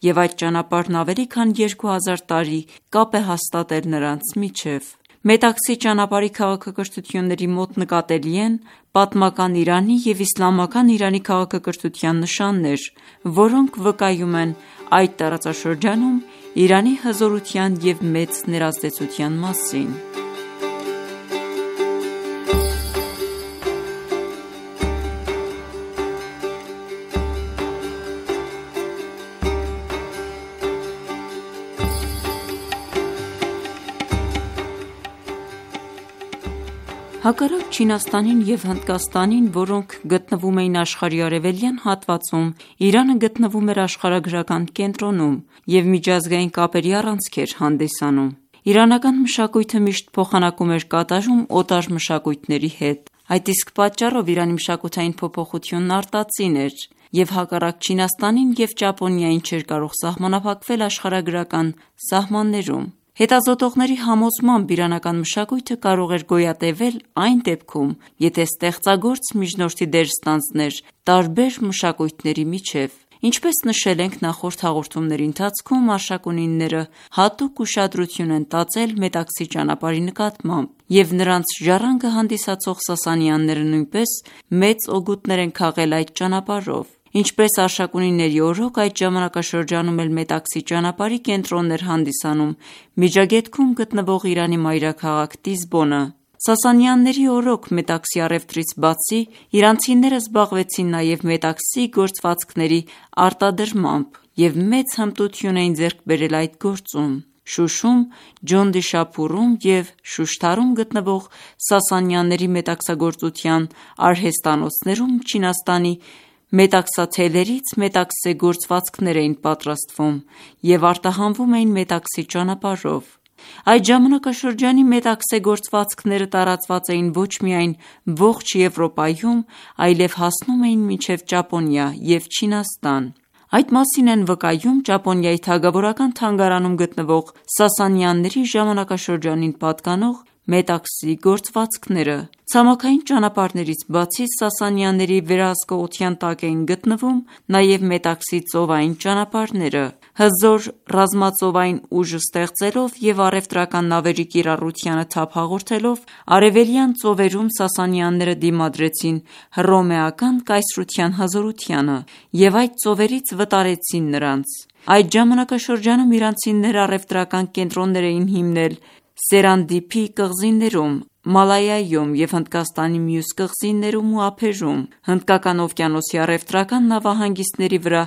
և այդ ճանապարհն ավելի քան երկու հազար տարի կապ է հաստատել նրանց միջև։ Մետաքսի ճանապարհի քաղաքակրթությունների մոտ նկատելի են պատմական Իրանի և իսլամական Իրանի քաղաքակրթության նշաններ, որոնք վկայում են այդ տարածաշրջանում Իրանի հզորության և մեծ ներազդեցության մասին։ Հակառակ Չինաստանին և Հնդկաստանին, որոնք գտնվում էին աշխարհի արևելյան հատվածում, Իրանը գտնվում էր աշխարհագրական կենտրոնում և միջազգային կապերի առանցք էր հանդիսանում։ Իրանական մշակույթը միշտ փոխանակում էր կատարում օտար մշակույթների հետ։ Այդ իսկ պատճառով Իրանի մշակութային փոփոխությունն արտածին էր և հակառակ Չինաստանին և Ճապոնիային չէր կարող սահմանափակվել աշխարհագրական սահմաններում։ Հետազոտողների համոզմամբ իրանական մշակույթը կարող էր գոյատևել այն դեպքում, եթե ստեղծագործ միջնորդի դեր ստանձներ տարբեր մշակույթների միջև։ Ինչպես նշել ենք նախորդ հաղորդումների ընթացքում, արշակունիները հատուկ ուշադրություն են տածել Մետաքսի ճանապարհի նկատմամբ, և նրանց ժառանգը հանդիսացող Սասանյանները նույնպես մեծ օգուտներ են քաղել այդ ճանապարհով։ Ինչպես արշակունիների օրոք, այդ ժամանակաշրջանում էլ Մետաքսի ճանապարհի կենտրոնն էր հանդիսանում Միջագետքում գտնվող Իրանի մայրաքաղաք Տիզբոնը։ Սասանյանների օրոք Մետաքսի առևտրից բացի, իրանցիները զբաղվեցին նաև Մետաքսի գործվածքների արտադրմամբ և մեծ հմտություն էին ձեռք բերել այդ գործում։ Շուշում, Ջոնդիշափուրում և Շուշթարում գտնվող Սասանյանների մետաքսագործության արհեստանոցներում Չինաստանի մետաքսաթելերից մետաքսե գործվածքներ էին պատրաստվում և արտահանվում էին Մետաքսի ճանապարհով։ Այդ ժամանակաշրջանի մետաքսե գործվածքները տարածված էին ոչ միայն ողջ Եվրոպայում, այլև հասնում էին մինչև Ճապոնիա և Չինաստան։ Այդ մասին են վկայում Ճապոնիայի թագավորական թանգարանում գտնվող Սասանյանների ժամանակաշրջանին պատկանող մետաքսի գործվածքները։ Ցամաքային ճանապարհներից բացի, Սասանյանների վերահսկողության տակ էին գտնվում նաև Մետաքսի ծովային ճանապարհները։ Հզոր ռազմածովային ուժ ստեղծելով և առևտրական նավերի կիրառությանը թափ հաղորդելով, արևելյան ծովերում Սասանյանները դիմադրեցին հռոմեական կայսրության հզորությանը և այդ ծովերից վտարեցին նրանց։ Այդ ժամանակաշրջանում իրանցիները առևտրական կենտրոններ էին հիմնել Սերանդիփի կղզիներում, Մալայայում և Հնդկաստանի մյուս կղզիներում ու ափերում։ Հնդկական օվկիանոսի առևտրական նավահանգիստների վրա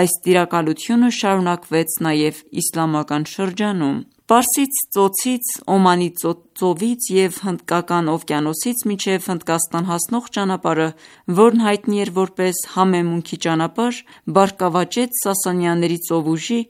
այս տիրակալությունը շարունակվեց նաև իսլամական շրջանում։ Պարսից ծոցից, Օմանի ծովից և Հնդկական օվկիանոսից մինչև Հնդկաստան հասնող ճանապարհը, որն հայտնի էր որպես Համեմունքի ճանապարհ, բարգավաճեց Սասանյանների ծովուժի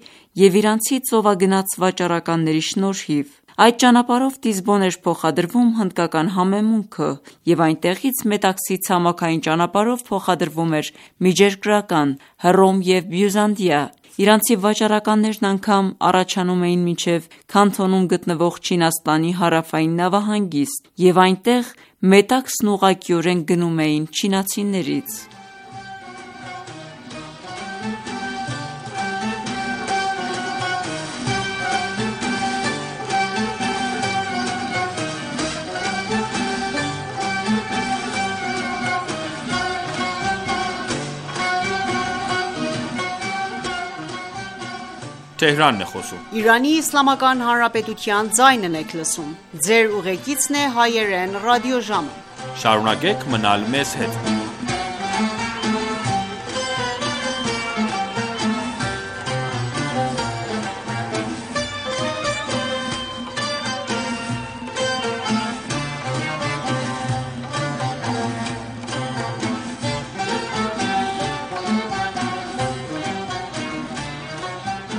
և իրանցի ծովագնաց վաճառականների շնորհիվ։ Այդ ճանապարհով Տիզբոն էր փոխադրվում հնդկական համեմունքը և այնտեղից Մետաքսի ցամաքային ճանապարհով փոխադրվում էր միջերկրական Հռոմ և Բյուզանդիա։ Իրանցի վաճառականներն անգամ առաջանում էին մինչև Քանթոնում գտնվող Չինաստանի հարավային նավահանգիստ և այնտեղ մետաքսն ուղղակիորեն գնում էին չինացիներից։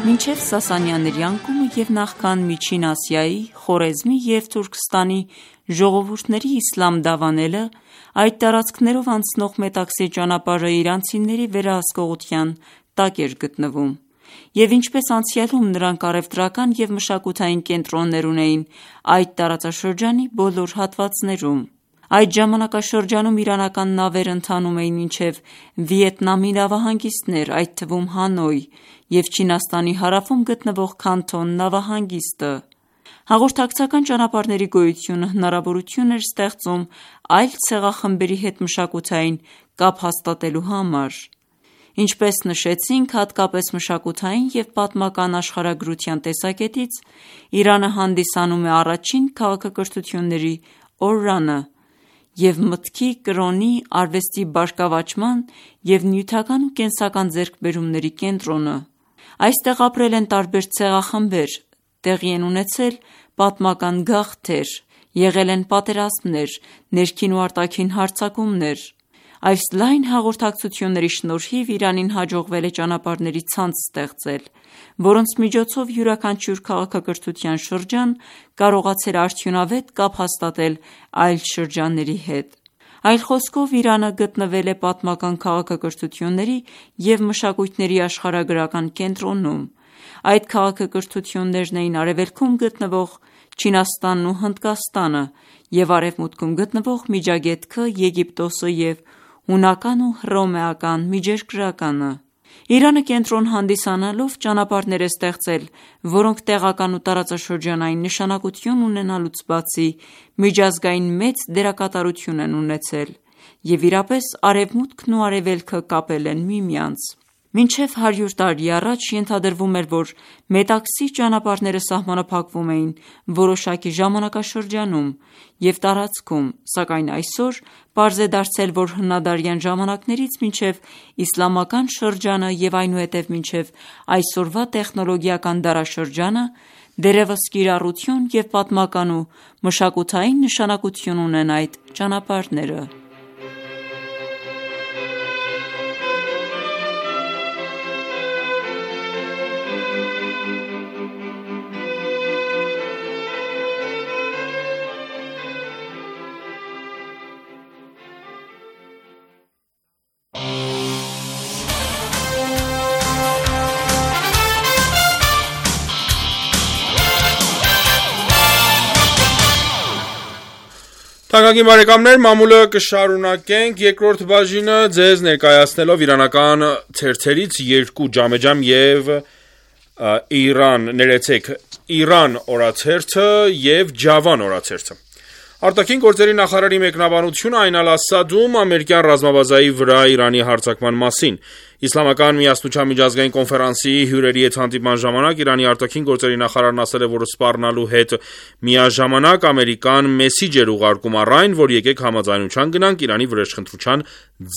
Մինչև Սասանյանների անկումը և նախքան Միջին Ասիայի, Խորեզմի և Թուրքստանի ժողովուրդների իսլամ դավանելը, այդ տարածքներով անցնող Մետաքսի ճանապարհը իրանցիների վերահսկողության տակ էր գտնվում, և ինչպես անցյալում նրանք առևտրական և մշակութային կենտրոններ ունեին այդ տարածաշրջանի բոլոր հատվածներում։ Այդ ժամանակաշրջանում իրանական նավերը ընթանում էին մինչև Վիետնամի նավահանգիստներ, այդ թվում Հանոյ և Չինաստանի հարավում գտնվող Քանթոն նավահանգիստը։ Հաղորդակցական ճանապարհների գոյությունը հնարավորություն էր ստեղծում այլ ցեղախմբերի հետ մշակութային կապ հաստատելու համար։ Ինչպես նշեցինք, հատկապես մշակութային և պատմական աշխարհագրության տեսակետից Իրանը հանդիսանում է առաջին քաղաքակրթությունների օրրանը և մտքի, կրոնի, արվեստի բարգավաճման և նյութական ու կենսական ձեռքբերումների կենտրոնը։ Այստեղ ապրել են տարբեր ցեղախմբեր, տեղի են ունեցել պատմական գաղթեր, եղել են պատերազմներ, ներքին ու արտաքին հարձակումներ։ Այս լայն հաղորդակցությունների շնորհիվ Իրանին հաջողվել է ճանապարհների ցանց ստեղծել, որոնց միջոցով յուրաքանչյուր քաղաքակրթության շրջան կարողացել է արդյունավետ կապ հաստատել այլ շրջանների հետ։ Այլ խոսքով, Իրանը գտնվել է պատմական քաղաքակրթությունների և մշակույթների աշխարհագրական կենտրոնում։ Այդ քաղաքակրթություններն էին արևելքում գտնվող Չինաստանն ու Հնդկաստանը և արևմուտքում գտնվող Միջագետքը, Եգիպտոսը և հունական ու հռոմեական միջերկրականը։ Իրանը կենտրոն հանդիսանալով ճանապարհներ է ստեղծել, որոնք տեղական ու տարածաշրջանային նշանակություն ունենալուց բացի, միջազգային մեծ դերակատարություն են ունեցել և իրապես արևմուտքն ու արևելքը կապել են միմյանց։ Մինչև հարյուր տարի առաջ ենթադրվում էր, որ Մետաքսի ճանապարհները սահմանափակվում էին որոշակի ժամանակաշրջանում և տարածքում, սակայն այսօր պարզ է դարձել, որ հնադարյան ժամանակներից մինչև իսլամական շրջանը և այնուհետև մինչև այսօրվա տեխնոլոգիական դարաշրջանը դեռևս կիրառություն և պատմական ու մշակութային նշանակություն ունեն այդ ճանապարհները։ Թանկագին բարեկամներ, մամուլը կշարունակենք երկրորդ բաժինը ձեզ ներկայացնելով իրանական թերթերից երկու ջամեջամ և Իրան, ներեցեք, Իրան օրաթերթը և Ջավան օրաթերթը։ Արտաքին գործերի նախարարի մեկնաբանությունը Այն Ալ-Ասադում ամերիկյան ռազմաբազայի վրա Իրանի հարձակման մասին։ Իսլամական միասնության միջազգային կոնֆերանսի հյուրերի հետ հանդիպման ժամանակ Իրանի արտաքին գործերի նախարարն ասել է, որ սպառնալու հետ միաժամանակ Ամերիկան մեսիջ էր ուղարկում առ այն, որ եկեք համաձայնության գնանք Իրանի վրեժխնդրության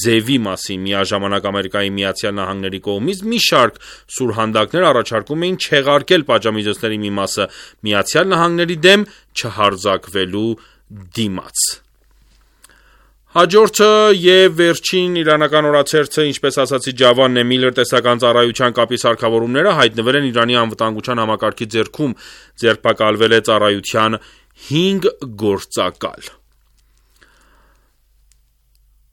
ձևի մասին։ Միաժամանակ Ամերիկայի Միացյալ Նահանգների կողմից մի շարք սուրհանդակներ առաջարկում էին չեղարկել պատժամիջոցների մի մասը Միացյալ Նահանգների դեմ չհարձակվելու դիմաց։ Հաջորդը և վերջին իրանական օրաթերթը, ինչպես ասացի, Ջավանն է։ Միլլեր տեսական ծառայության կապի սարքավորումները հայտնվել են Իրանի անվտանգության համակարգի ձեռքում, ձերբակալվել է ծառայության հինգ գործակալ։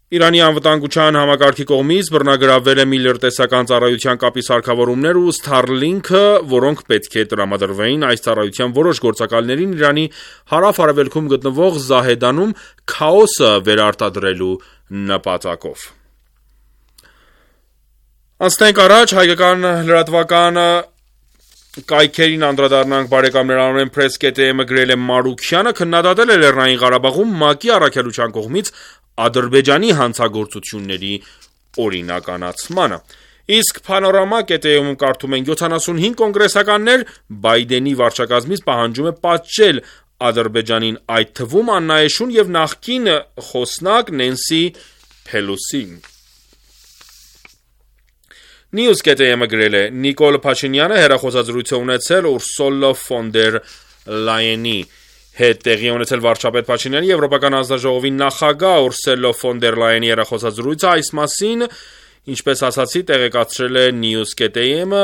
Իրանի անվտանգության համակարգի կողմից բռնագրավվել է Միլլեր տեսական ծառայության կապի սարքավորումներ ու Starlink-ը, որոնք պետք է տրամադրվեին այս ծառայության որոշ գործակալներին Իրանի հարավ-արևելքում գտնվող Զահեդանում քաոսը վերարտադրելու նպատակով։ Անցնենք առաջ, հայկական լրատվական կայքերին անդրադառնանք բարեկամներ, Armen Press.am-ը գրել է Մարուքյանը քննադատել է Լեռնային Ղարաբաղում ՄԱԿ-ի առաքելության կողմից Ադրբեջանի հանցագործությունների օրինականացմանը։ Իսկ Panorama.am-ում կարդում ենք յոթանասունհինգ կոնգրեսականներ Բայդենի վարչակազմից պահանջում է պատժել Ադրբեջանին, այդ թվում Աննա Էշուն և նախկին խոսնակ Նենսի Փելոսին։ News.am-ը գրել է Նիկոլ Փաշինյանը հեռախոսազրույց է ունեցել Ուրսուլա ֆոն դեր Լայենի հետ տեղի ունեցել վարչապետ Փաշինյանի Եվրոպական հանձնաժողովի նախագահ Ուրսուլա ֆոն դեր Լայենի հեռախոսազրույցը այս մասին, ինչպես ասացի, տեղեկացրել է News.am-ը,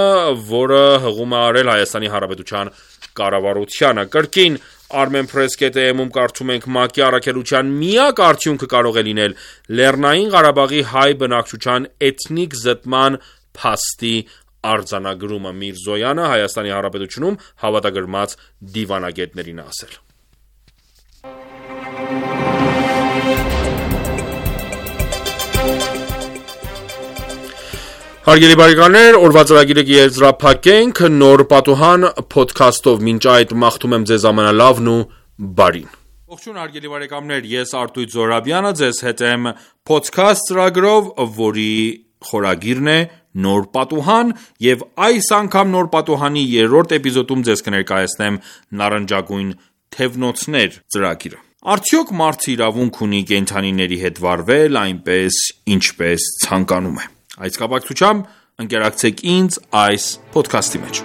որը հղում է արել Հայաստանի Հանրապետության կառավարությանը։ Կրկին Armen Press.am-ում կարդում ենք ՄԱԿ-ի առաքելության միակ արդյունքը կարող է լինել Լեռնային Ղարաբաղի հայ բնակչության էթնիկ զտման փաստի արձանագրումը։ Միրզոյանը Հայաստանի Հանրապետությունում հավատագրված դիվանագետներին է ասել։ Հարգելի բարեկամներ, օրվա ծրագիրը կեզրափակենք նոր պատուհան փոդքասթով։ Մինչ այդ մաղթում եմ ձեզ ամենալավն ու բարին։ Ողջույն հարգելի բարեկամներ, ես Արտույտ Զոհրաբյանը ձեզ հետ եմ փոդքասթ ծրագրով, որի խորագիրն է Նոր պատուհան, եւ այս անգամ Նոր պատուհանի երրորդ էպիզոդում ձեզ կներկայացնեմ Նարնջագույն թևնոցներ ծրագիրը։ Արդյոք մարդը իրավունք ունի կենդանիների հետ վարվել այնպես, ինչպես ցանկանում է։ Այս կապակցությամբ ընկերակցեք ինձ այս փոդքասթի մեջ։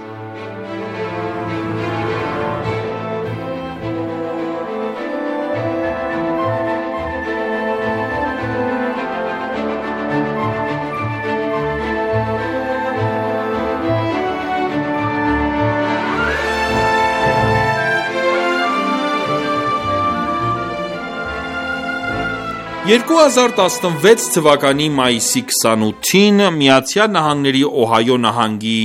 երկու հազար տասնվեց թվականի մայիսի քսանութին Միացյալ Նահանգների Օհայո նահանգի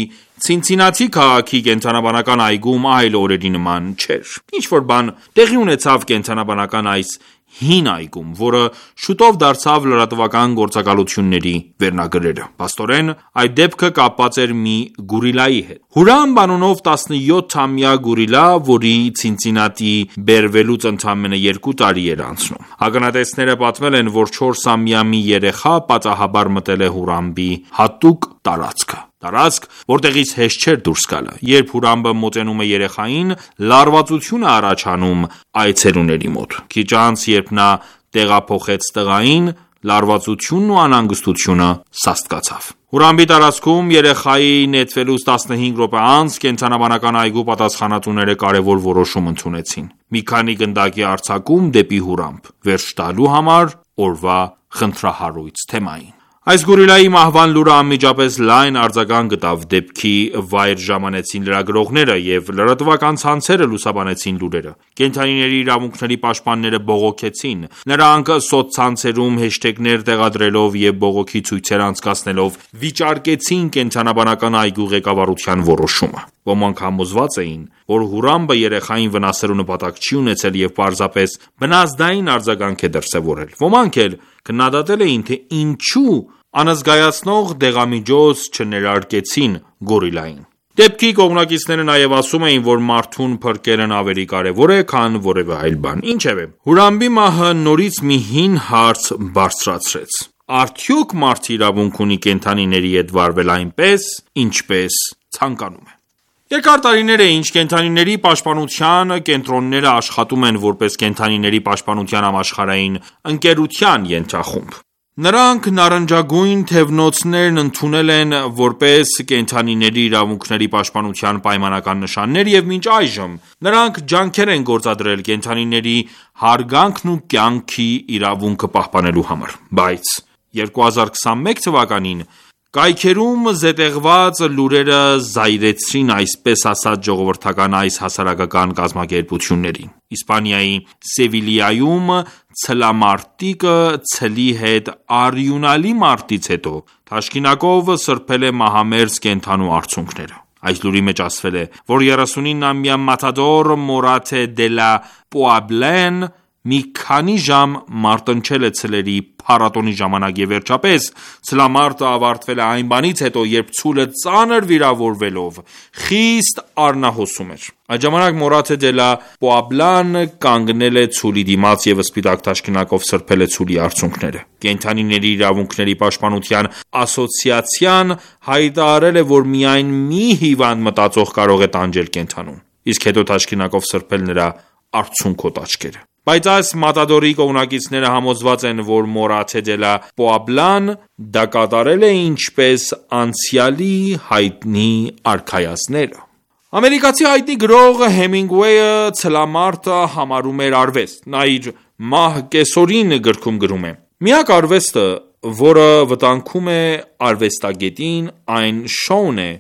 Ցինցինաթի քաղաքի կենդանաբանական այգում այլ օրերի նման չէր։ Ինչ-որ բան տեղի ունեցավ կենդանաբանական այս հին այգում, որը շուտով դարձավ լրատվական գործակալությունների վերնագրերը։ Փաստորեն, այդ դեպքը կապված էր մի գորիլայի հետ։ Հուրամ անունով տասնյոթամյա գորիլա, որի Ցինցինատի բերվելուց ընդամենը երկու տարի էր անցնում։ Ականատեսները պատմել են, որ չորսամյա մի երեխա պատահաբար մտել է Հուրամբի հատուկ տարածքը։ Տարածք, որտեղից հեշտ չէր դուրս գալը։ Երբ Հուրամբը մոտենում է երեխային, լարվածություն է առաջանում այցելուների մոտ։ Քիչ անց, երբ նա տեղափոխեց տղային, լարվածությունն ու անհանգստությունը սաստկացավ։ Հուրամբի տարածքում երեխայի նետվելուց տասնհինգ րոպե անց կենդանաբանական այգու պատասխանատուները կարևոր որոշում ընդունեցին։ Մի քանի գնդակի արձակում դեպի Հուրամբ, վերջ տալու համար օրվա խնդրահարույց թեմային։ Այս գորիլայի մահվան լուրը անմիջապես լայն արձագանք գտավ, դեպքի վայր ժամանեցին լրագրողները և լրատվական ցանցերը լուսաբանեցին լուրերը։ Կենդանիների իրավունքների պաշտպանները բողոքեցին։ Նրանք սոցցանցերում հեշթեգներ տեղադրելով և բողոքի ցույցեր անցկացնելով վիճարկեցին կենդանաբանական այգու ղեկավարության որոշումը։ Ոմանք համոզված էին, որ Հուրամբը երեխային վնասելու նպատակ չի ունեցել և պարզապես բնազդային արձագանք է դրսևորել։ Ոմանք էլ քննադատել էին, թե ինչու անզգայացնող դեղամիջոց չներարկեցին գորիլային։ Դեպքի կողմնակիցները նաև ասում էին, որ մարդուն փրկելն ավելի կարևոր է, քան որևէ այլ բան։ Ինչևէ, Հուրամբի մահը նորից մի հին հարց բարձրացրեց. արդյոք մարդը իրավունք ունի կենդանիների հետ վարվել այնպես, ինչպես ցանկանում է։ Երկար տարիներ է, ինչ կենդանիների պաշտպանության կենտրոնները աշխատում են որպես կենդանիների պաշտպանության համաշխարհային ընկերության ենթախումբ։ Նրանք նարնջագույն թևնոցներն ընդունել են որպես կենդանիների իրավունքների պաշտպանության պայմանական նշաններ և մինչ այժմ նրանք ջանքեր են գործադրել կենդանիների հարգանքն ու կյանքի իրավունքը պահպանելու համար։ Բայց երկու հազար քսանմեկ թվականին կայքերում զետեղված լուրերը զայրեցրին այսպես ասած ժողովրդական այս հասարակական կազմակերպություններին։ Իսպանիայի Սևիլիայում ցլամարտիկը ցլի հետ արյունալի մարտից հետո թաշկինակով սրբել է մահամերձ կենդանու արցունքները։ Այս լուրի մեջ ասվել է, որ երեսունինամյա մատադոր Մորատե դե լա Պուաբլեն մի քանի ժամ մարտնչել է ցլերի փառատոնի ժամանակ և վերջապես ցլամարտը ավարտվել է այն բանից հետո, երբ ցուլը ծանր վիրավորվելով խիստ արնահոսում էր։ Այդ ժամանակ Մորատե դե լա Պուաբլան կանգնել է ցուլի դիմաց և սպիտակ թաշկինակով սրբել է ցուլի արցունքները։ Կենդանիների իրավունքների պաշտպանության ասոցիացիան հայտարարել է, որ միայն մի հիվանդ մտածող կարող է տանջել կենդանուն, իսկ հետո թաշկինակով սրբել նրա արցունքոտ աչքերը։ Բայց այս մատադորի կողմնակիցները համոզված են, որ Մորատե դե լա Պուաբլան դա կատարել է ինչպես անցյալի հայտնի արքայազնները։ Ամերիկացի հայտնի գրող Հեմինգուեյը ցլամարտը համարում էր արվեստ։ Նա իր «Մահ կեսօրին» գրքում գրում է. «Միակ արվեստը, որը վտանգում է արվեստագետին, այն շոուն է,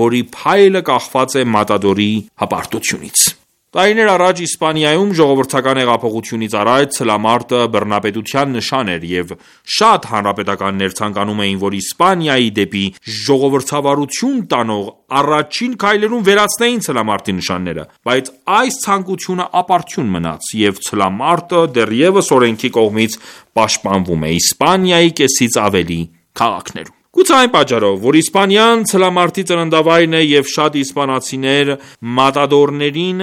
որի փայլը կախված է մատադորի հպարտությունից»։ Տարիներ առաջ Իսպանիայում ժողովրդական հեղափոխությունից առաջ ցլամարտը բռնապետության նշան էր և շատ հանրապետականներ ցանկանում էին, որ Իսպանիայի դեպի ժողովրդավարություն տանող առաջին քայլերում վերացնեին ցլամարտի նշանները, բայց այս ցանկությունը ապարդյուն մնաց, և ցլամարտը դեռևս օրենքի կողմից պաշտպանվում է Իսպանիայի կեսից ավելի քաղաքներում։ Գուցե այն պատճառով, որ Իսպանիան ցլամարտի ծննդավայրն է և շատ իսպանացիներ մատադորներին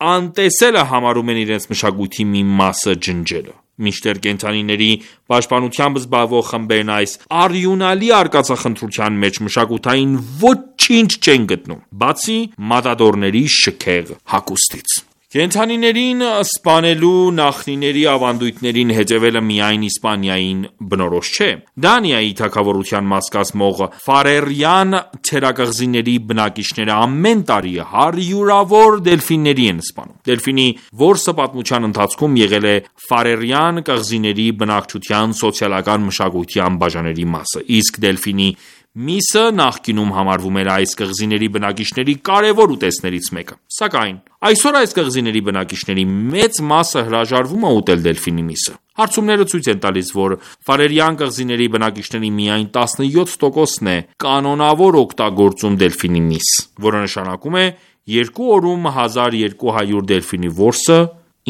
անտեսելը համարում են իրենց մշակույթի մի մասը ջնջելը։ Մինչդեռ կենդանիների պաշտպանությամբ զբաղվող խմբերն այս արյունալի արկածախնդրության մեջ մշակութային ոչինչ չեն գտնում, բացի մատադորների շքեղ հագուստից։ Կենդանիներին սպանելու նախնիների ավանդույթներին հետևելը միայն Իսպանիային բնորոշ չէ։ Դանիայի թագավորության մաս կազմող ֆարերյան թերակղզիների բնակիչները ամեն տարի հարյուրավոր դելֆինների են սպանում։ Դելֆինի որսը պատմության ընթացքում եղել է ֆարերյան կղզիների բնակչության սոցիալական մշակույթի անբաժանելի մասը, իսկ դելֆինի միսը նախկինում համարվում էր այս կղզիների բնակիչների կարևոր ուտեստներից մեկը։ Սակայն այսօր այս կղզիների բնակիչների մեծ մասը հրաժարվում է ուտել դելֆինի միսը։ Հարցումները ցույց են տալիս, որ Ֆարերյան կղզիների բնակիչների միայն տասնյոթ տոկոսն է կանոնավոր օգտագործում դելֆինի միս, որը նշանակում է երկու օրում հազար երկու հարյուր դելֆինի որսը,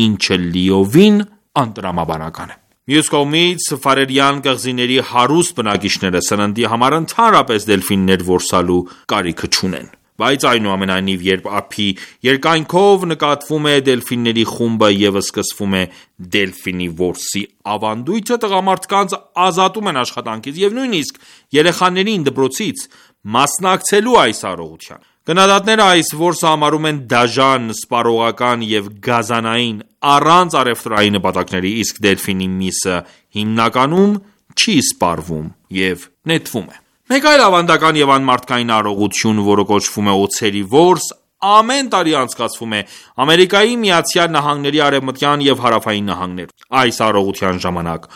ինչը լիովին անտրամաբանական է։ Մյուս կողմից, Ֆարերյան կղզիների հարուստ բնակիչները սննդի համար ընդհանրապես դելֆիններ որսալու կարիքը չունեն։ Բայց այնուամենայնիվ, երբ ափի երկայնքով նկատվում է դելֆինների խումբը և սկսվում է դելֆինի որսի ավանդույթը, տղամարդկանց ազատում են աշխատանքից և նույնիսկ երեխաներին դպրոցից մասնակցելու այս արարողության։ Քննադատները այս որսը համարում են դաժան, սպառողական և գազանային, առանց առևտրային նպատակների, իսկ դելֆինի միսը հիմնականում չի սպառվում և նետվում է։ Մեկ այլ ավանդական և անմարդկային արարողություն, որը կոչվում է օձերի որս, ամեն տարի անցկացվում է Ամերիկայի Միացյալ Նահանգների արևմտյան և հարավային նահանգներում։ Այս արարողության ժամանակ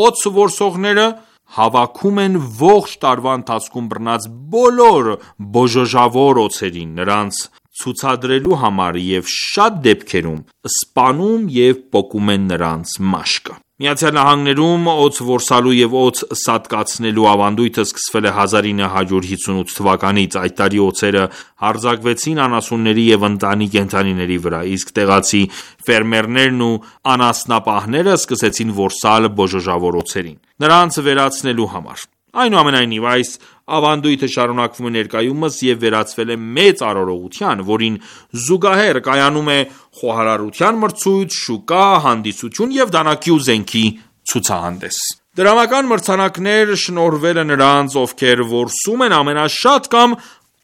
օձ որսողները հավաքում են ողջ տարվա ընթացքում բռնած բոլոր բոժոժավոր օձերին, նրանց ցուցադրելու համար և շատ դեպքերում սպանում և պոկում են նրանց մաշկը։ Միացյալ Նահանգներում օձ որսալու և օձ սատկացնելու ավանդույթը սկսվել է հազար ինը հարյուր հիսունութ թվականից։ Այդ տարի օձերը հարձակվեցին անասունների և ընտանի կենդանիների վրա, իսկ տեղացի ֆերմերներն ու անասնապահները սկսեցին որսալ բոժոժավոր օձերին, նրանց վերացնելու համար։ Այնուամենայնիվ, այս ավանդույթը շարունակվում է ներկայումս և վերածվել է մեծ արարողության, որին զուգահեռ կայանում է խոհարարության մրցույթ, շուկա, հանդիսություն և դանակի ու զենքի ցուցահանդես։ Դրամական մրցանակներ շնորհվել է նրանց, ովքեր որսում են ամենաշատ կամ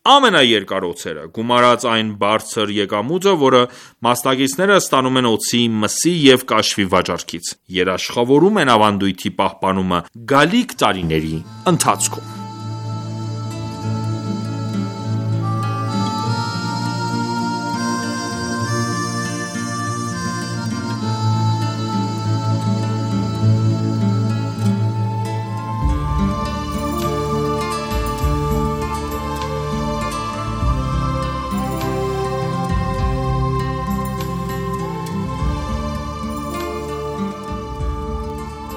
ամենաերկար օձերը, գումարած այն բարձր եկամուտը, որը մասնակիցները ստանում են օձի, մսի և կաշվի վաճառքից։ Երաշխավորում են ավանդույթի պահպանումը գալիք տարիների ընթացքում։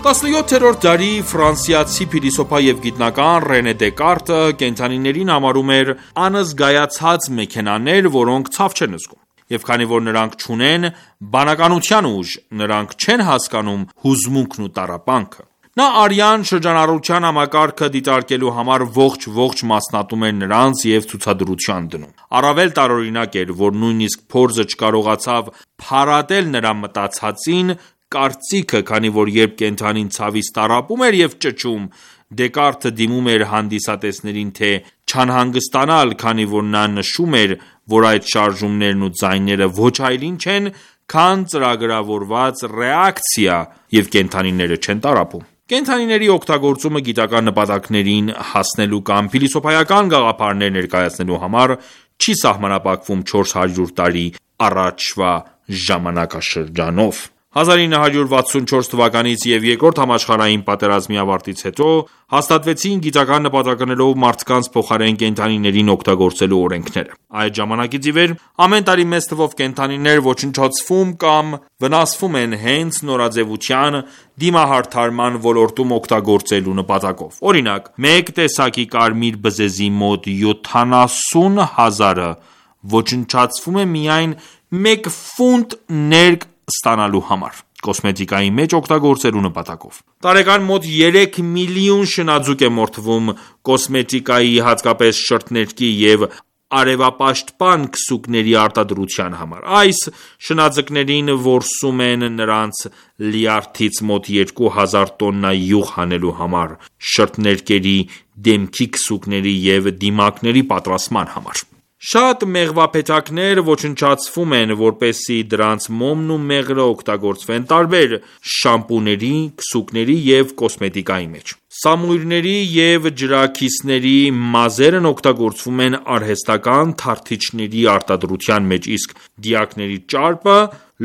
տասնյոթերորդ դարի ֆրանսիացի փիլիսոփա և գիտնական Ռենե Դեկարտը կենդանիներին համարում էր անզգայացած մեքենաներ, որոնք ցավ չեն զգում։ Եվ քանի որ նրանք չունեն բանականության ուժ, նրանք չեն հասկանում հուզմունքն ու տառապանքը։ Նա արյան շրջանառության համակարգը դիտարկելու համար ողջ-ողջ մասնատում էր նրանց և ցուցադրության դնում։ Առավել տարօրինակ էր, որ նույնիսկ փորձը չկարողացավ փարատել նրա մտածածին կարծիքը, քանի որ երբ կենդանին ցավից տառապում էր և ճչում, Դեկարտը դիմում էր հանդիսատեսներին, թե չանհանգստանալ, քանի որ նա նշում էր, որ այդ շարժումներն ու ձայները ոչ այլ ինչ են, քան ծրագրավորված ռեակցիա, և կենդանիները չեն տառապում։ Կենդանիների օգտագործումը գիտական նպատակներին հասնելու կամ փիլիսոփայական գաղափարներ ներկայացնելու համար չի սահմանափակվում չորս հարյուր տարի առաջվա ժամանակաշրջանով։ հազար ինը հարյուր վաթսունչորս թվականից և Երկրորդ համաշխարհային պատերազմի ավարտից հետո հաստատվեցին գիտական նպատակներով մարդկանց փոխարեն կենդանիներին օգտագործելու օրենքները։ Այդ ժամանակից ի վեր ամեն տարի մեծ թվով կենդանիներ ոչնչացվում կամ վնասվում են հենց նորաձևության, դիմահարդարման ոլորտում օգտագործելու նպատակով։ Օրինակ, մեկ տեսակի կարմիր բզեզի մոտ յոթանասուն հազարը ոչնչացվում է միայն մեկ ֆունտ ներք ստանալու համար, կոսմետիկայի մեջ օգտագործելու նպատակով։ Տարեկան մոտ երեք միլիոն շնաձուկ է մորթվում կոսմետիկայի, հատկապես շրթներքի և արևապաշտպան քսուկների արտադրության համար։ Այս շնաձկներին որսում են նրանց լյարդից մոտ երկու հազար տոննա յուղ հանելու համար, շրթներկերի, դեմքի քսուկների և դիմակների պատրաստման համար։ Շատ մեղվափեթակներ ոչնչացվում են, որպեսզի դրանց մոմն ու մեղրը օգտագործվեն տարբեր շամպուների, քսուկների և կոսմետիկայի մեջ։ Սամույրների և ջրաքիսների մազերն օգտագործվում են արհեստական թարթիչների արտադրության մեջ, իսկ դիակների ճարպը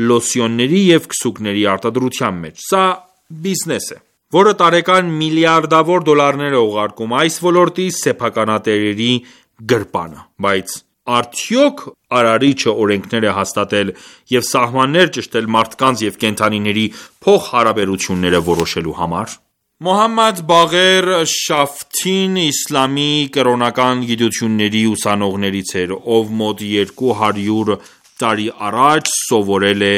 լոսյոնների և քսուկների արտադրության մեջ։ Սա բիզնես է, որը տարեկան միլիարդավոր դոլարներ է ուղարկում այս ոլորտի սեփականատերերի գրպանը, բայց Արդյոք արարիչը օրենքներ է հաստատել և սահմաններ ճշտել մարդկանց և կենդանիների փոխհարաբերությունները որոշելու համար: Մոհամմադ Բաղեր Շաֆթին իսլամի կրոնական գիտությունների ուսանողներից էր, ով մոտ երկու հարյուր տարի առաջ սովորել է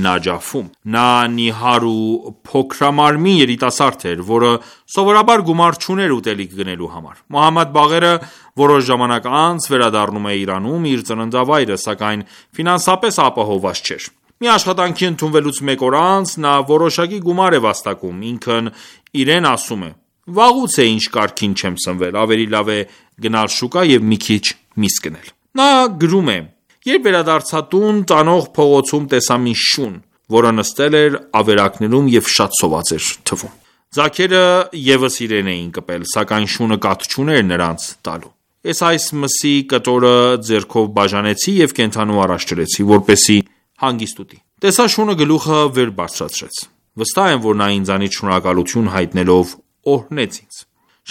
Նաջաֆում: Նա նիհար ու փոքրամարմին երիտասարդ էր, որը սովորաբար գումար չուներ ուտելիք գնելու համար: Մոհամմադ Բաղերը որոշ ժամանակ անց վերադառնում է Իրանում իր ծննդավայրը, սակայն ֆինանսապես ապահովված չէր: Մի աշխատանքի ընդունվելուց մեկ օր անց նա որոշակի գումար է վաստակում: Ինքն իրեն ասում է. «Վաղուց է ինչ կարգին չեմ սնվել, ավելի լավ է գնալ շուկա և մի քիչ միս գնել»: Նա գրում է. «Երբ վերադարձա տուն, տանող փողոցում տեսա մի շուն, որը նստել էր ավերակներում և շատ սոված էր թվում: Ձագերը ևս իրեն էին կպել, սակայն շունը կաթ չուներ նրանց տալու: Ես այս մսի կտորը ձեռքով բաժանեցի և կենդանու առաջ դրեցի, որպեսզի հանգիստ ուտի: Տեսա շունը գլուխը վեր բարձրացրեց: Վստահ եմ, որ նա ինձանից շնորհակալություն հայտնելով օրհնեց ինձ: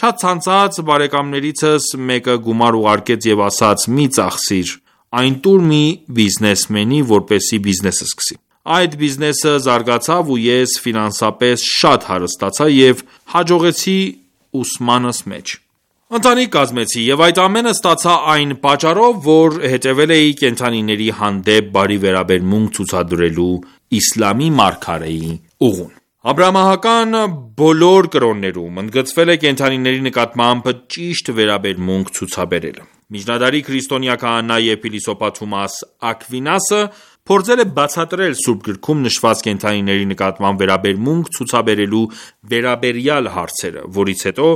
Շատ ցանկացած բարեկամներիցս մեկը գումար ուղարկեց և ասաց. «Մի ծախսիր, այն տուր մի բիզնեսմենի, որպեսզի բիզնես սկսի»: Այդ բիզնեսը զարգացավ ու ես ֆինանսապես շատ հարստացա և հաջողեցի ուսմանս մեջ: Ընտանիք կազմեցի և այդ ամենը ստացա այն պատճառով, որ հետևել էի կենդանիների հանդեպ բարի վերաբերմունք ցուցադրելու իսլամի մարգարեի ուղուն: Աբրահամական բոլոր կրոններում ընդգծվել է կենդանիների նկատմամբ ճիշտ վերաբերմունք ցուցաբերելը: Միջնադարի քրիստոնյա քահանա և փիլիսոփա Թոմաս Աքվինասը փորձել է բացատրել Սուրբ գրքում նշված կենդանիների նկատմամբ վերաբերմունք ցուցաբերելու վերաբերյալ հարցերը, որից հետո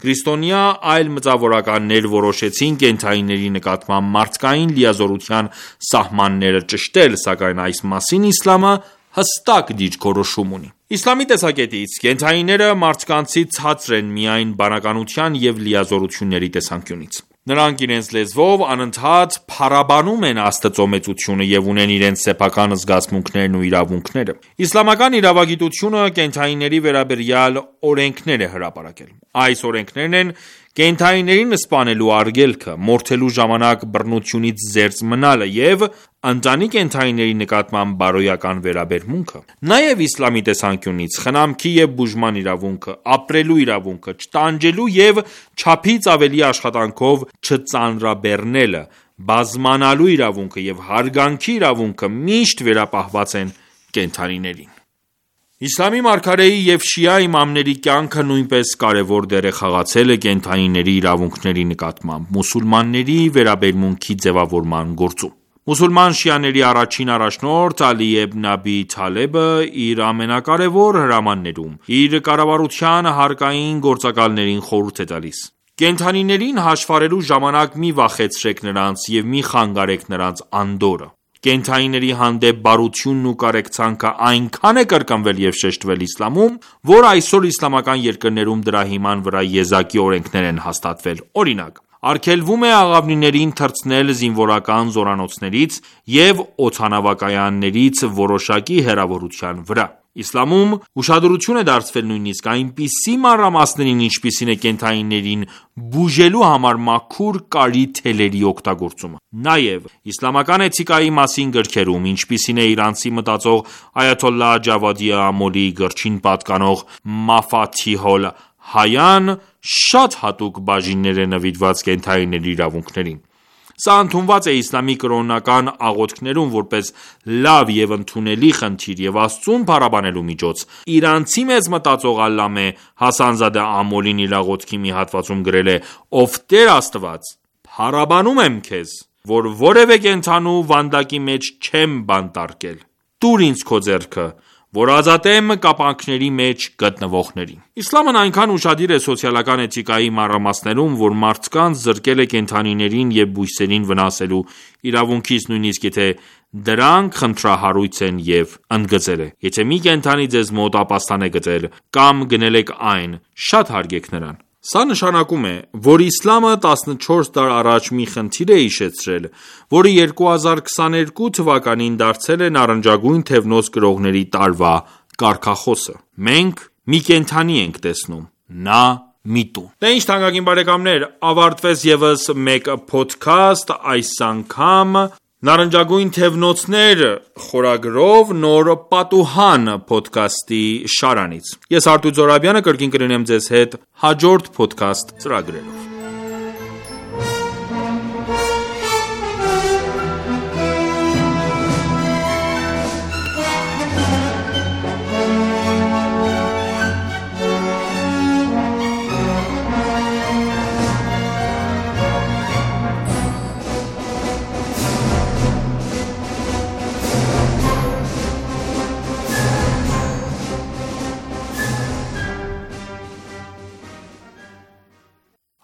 քրիստոնյա այլ մտավորականներ որոշեցին կենդանիների նկատմամբ մարդկային լիազորության սահմանները ճշտել, սակայն այս մասին իսլամը հստակ դիրքորոշում ունի: Իսլամի տեսակետից, կենդանիները մարդկանցից ցածր են միայն բանականության և լիազորությունների տեսանկյունից: Նրանք իրենց լեզվով անընդհատ փառաբանում են Աստծո մեծությունը և ունեն իրենց սեփական զգացմունքներն ու իրավունքները: Իսլամական իրավագիտությունը կենդանիների վերաբերյալ օրենքներ է հրապարակել: Այս օրենքներն են կենդանիներին սպանելու արգելքը, մորթելու ժամանակ բռնությունից զերծ մնալը և ընտանի կենդանիների նկատմամբ բարոյական վերաբերմունքը: Նաև իսլամի տեսանկյունից, խնամքի և բուժման իրավունքը, ապրելու իրավունքը, չտանջելու և չափից ավելի աշխատանքով չծանրաբեռնելը, բազմանալու իրավունքը և հարգանքի իրավունքը միշտ վերապահված են կենդանիներին: Իսլամի մարգարեի և շիա իմամների կյանքը նույնպես կարևոր դեր է խաղացել կենդանիների իրավունքների նկատմամբ մուսուլմանների վերաբերմունքի ձևավորման գործում: Մուսուլման շիաների առաջին առաջնորդ Ալի Իբն Աբի Թալեբը իր ամենակարևոր հրամաններում, իր կառավարության հարկային գործակալներին խորհուրդ է տալիս. «Կենդանիներին հաշվառելու ժամանակ մի վախեցրեք նրանց և մի խանգարեք նրանց անդորրը: Կենդանիների հանդեպ բարությունն ու կարեկցանքը այնքան է կրկնվել և շեշտվել իսլամում, որ այսօր իսլամական երկրներում դրա հիման վրա եզակի օրենքներ են հաստատվել: Օրինակ, արգելվում է աղավնիներին թռցնել զինվորական զորանոցներից և օդանավակայաններից որոշակի հեռավորության վրա: Իսլամում ուշադրություն է դարձվել նույնիսկ այնպիսի մանրամասներին, ինչպիսին է կենդանիներին բուժելու համար մաքուր կարի թելերի օգտագործումը: Նաև իսլամական էթիկայի մասին գրքերում, ինչպիսին է իրանցի մտածող այաթոլլահ Ջավադի Ամոլիի գրչին պատկանող Մաֆաթիհ ալ-Հայան, շատ հատուկ բաժիններ է նվիրված կենդանիների իրավունքներին: Սա ընդունված է իսլամի կրոնական աղոթքներում որպես լավ և ընդունելի խնդիր և Աստծուն փառաբանելու միջոց: Իրանցի մեծ մտածող Ալլամե Հասանզադե Ամոլին իր աղոթքի մի հատվածում գրել է. «Ով Տեր Աստված, փառաբանում եմ Քեզ, որ որևէ կենդանու վանդակի մեջ չեմ բանտարկել: Տուր ինձ Քո ձեռքը, որ ազատեմ կապանքների մեջ գտնվողներին»: Իսլամն այնքան ուշադիր է սոցիալական էթիկայի մանրամասներում, որ մարդկանց զրկել է կենդանիներին և բույսերին վնասելու իրավունքից, նույնիսկ եթե դրանք խնդրահարույց են և ընդգծել է. «Եթե մի կենդանի ձեզ մոտ ապաստան է գտել, կամ գնել եք այն, շատ հարգեք նրան»: Սա նշանակում է, որ իսլամը տասնչորս դար առաջ մի խնդիր է հիշեցրել, որը երկու հազար քսաներկու թվականին դարձել է նարնջագույն թևնոց կրողների տարվա կարգախոսը: Մենք մի կենդանի ենք տեսնում: Նա մի տուն։ Դե ինչ թանկագին բարեկամներ, ավարտվեց եւս մեկ podcast այս անգամ Նարնջագույն թևնոցներ խորագրով նոր պատուհան podcast-ի շարանից։ Ես Արտույտ Զոհրաբյանը կրկին կլինեմ ձեզ հետ հաջորդ podcast ծրագրերով։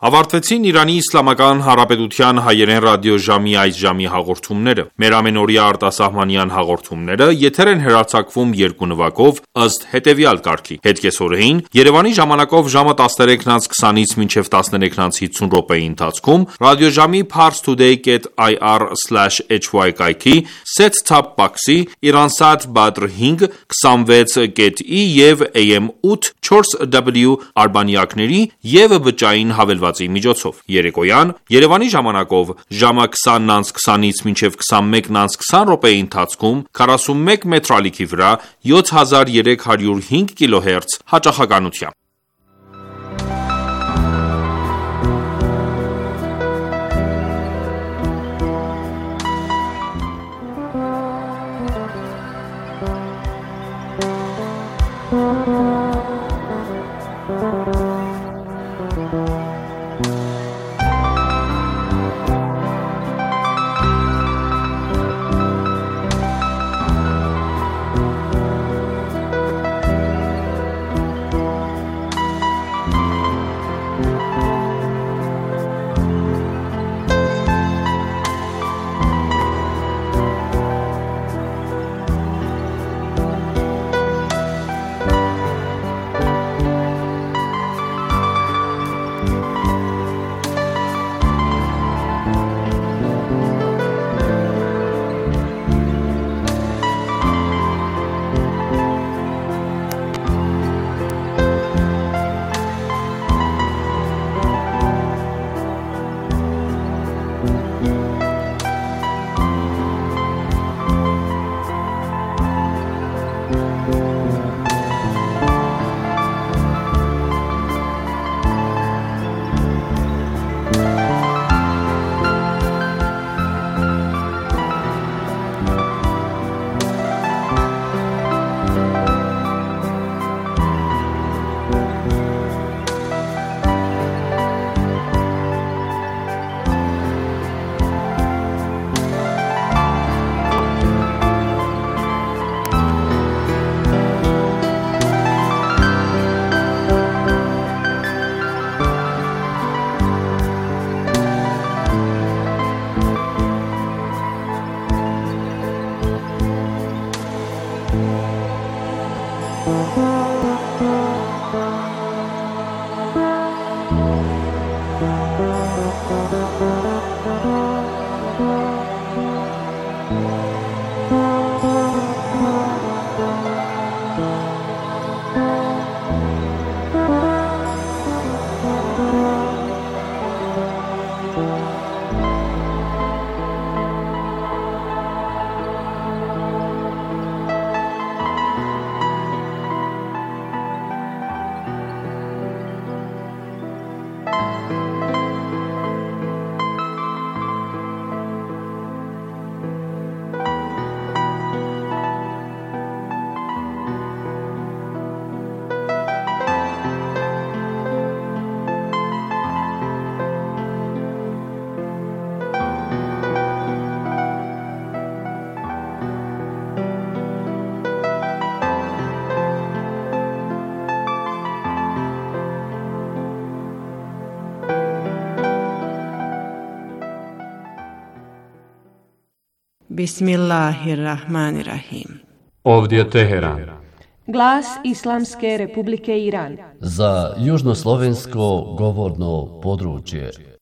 Ավարտվեցին Իրանի Իսլամական Հանրապետության հայերեն ռադիոժամի այս ժամի հաղորդումները։ Մեր ամենօրյա արտասահմանյան հաղորդումները եթեր են հեռարձակվում երկու նվագով ըստ հետևյալ կարգի. Հետկեսօրեին Երևանի ժամանակով ժամը տասներեքն անց քսանից մինչև տասներեքն անց հիսուն րոպեի ընթացքում ռադիոժամի parstoday dot i r slash h y կայքի set-top box-ի Iransat Badr հինգ քսանվեց կետ ի և A M ութ չորս W արբանյակների և բջջային հավելվածի միջոցով։ Երեկոյան Երևանի ժամանակով ժամը քսանն անց քսանից մինչև քսանմեկն անց քսան րոպեի ընթացքում քառասունմեկ մետր ալիքի վրա յոթ հազար երեք հարյուր հինգ կիլոհերց հաճախականությամբ։ Bismillahirrahmanirrahim. Ovdje Teheran. Glas Islamske Republike Iran. Za južnoslovensko govorno područje.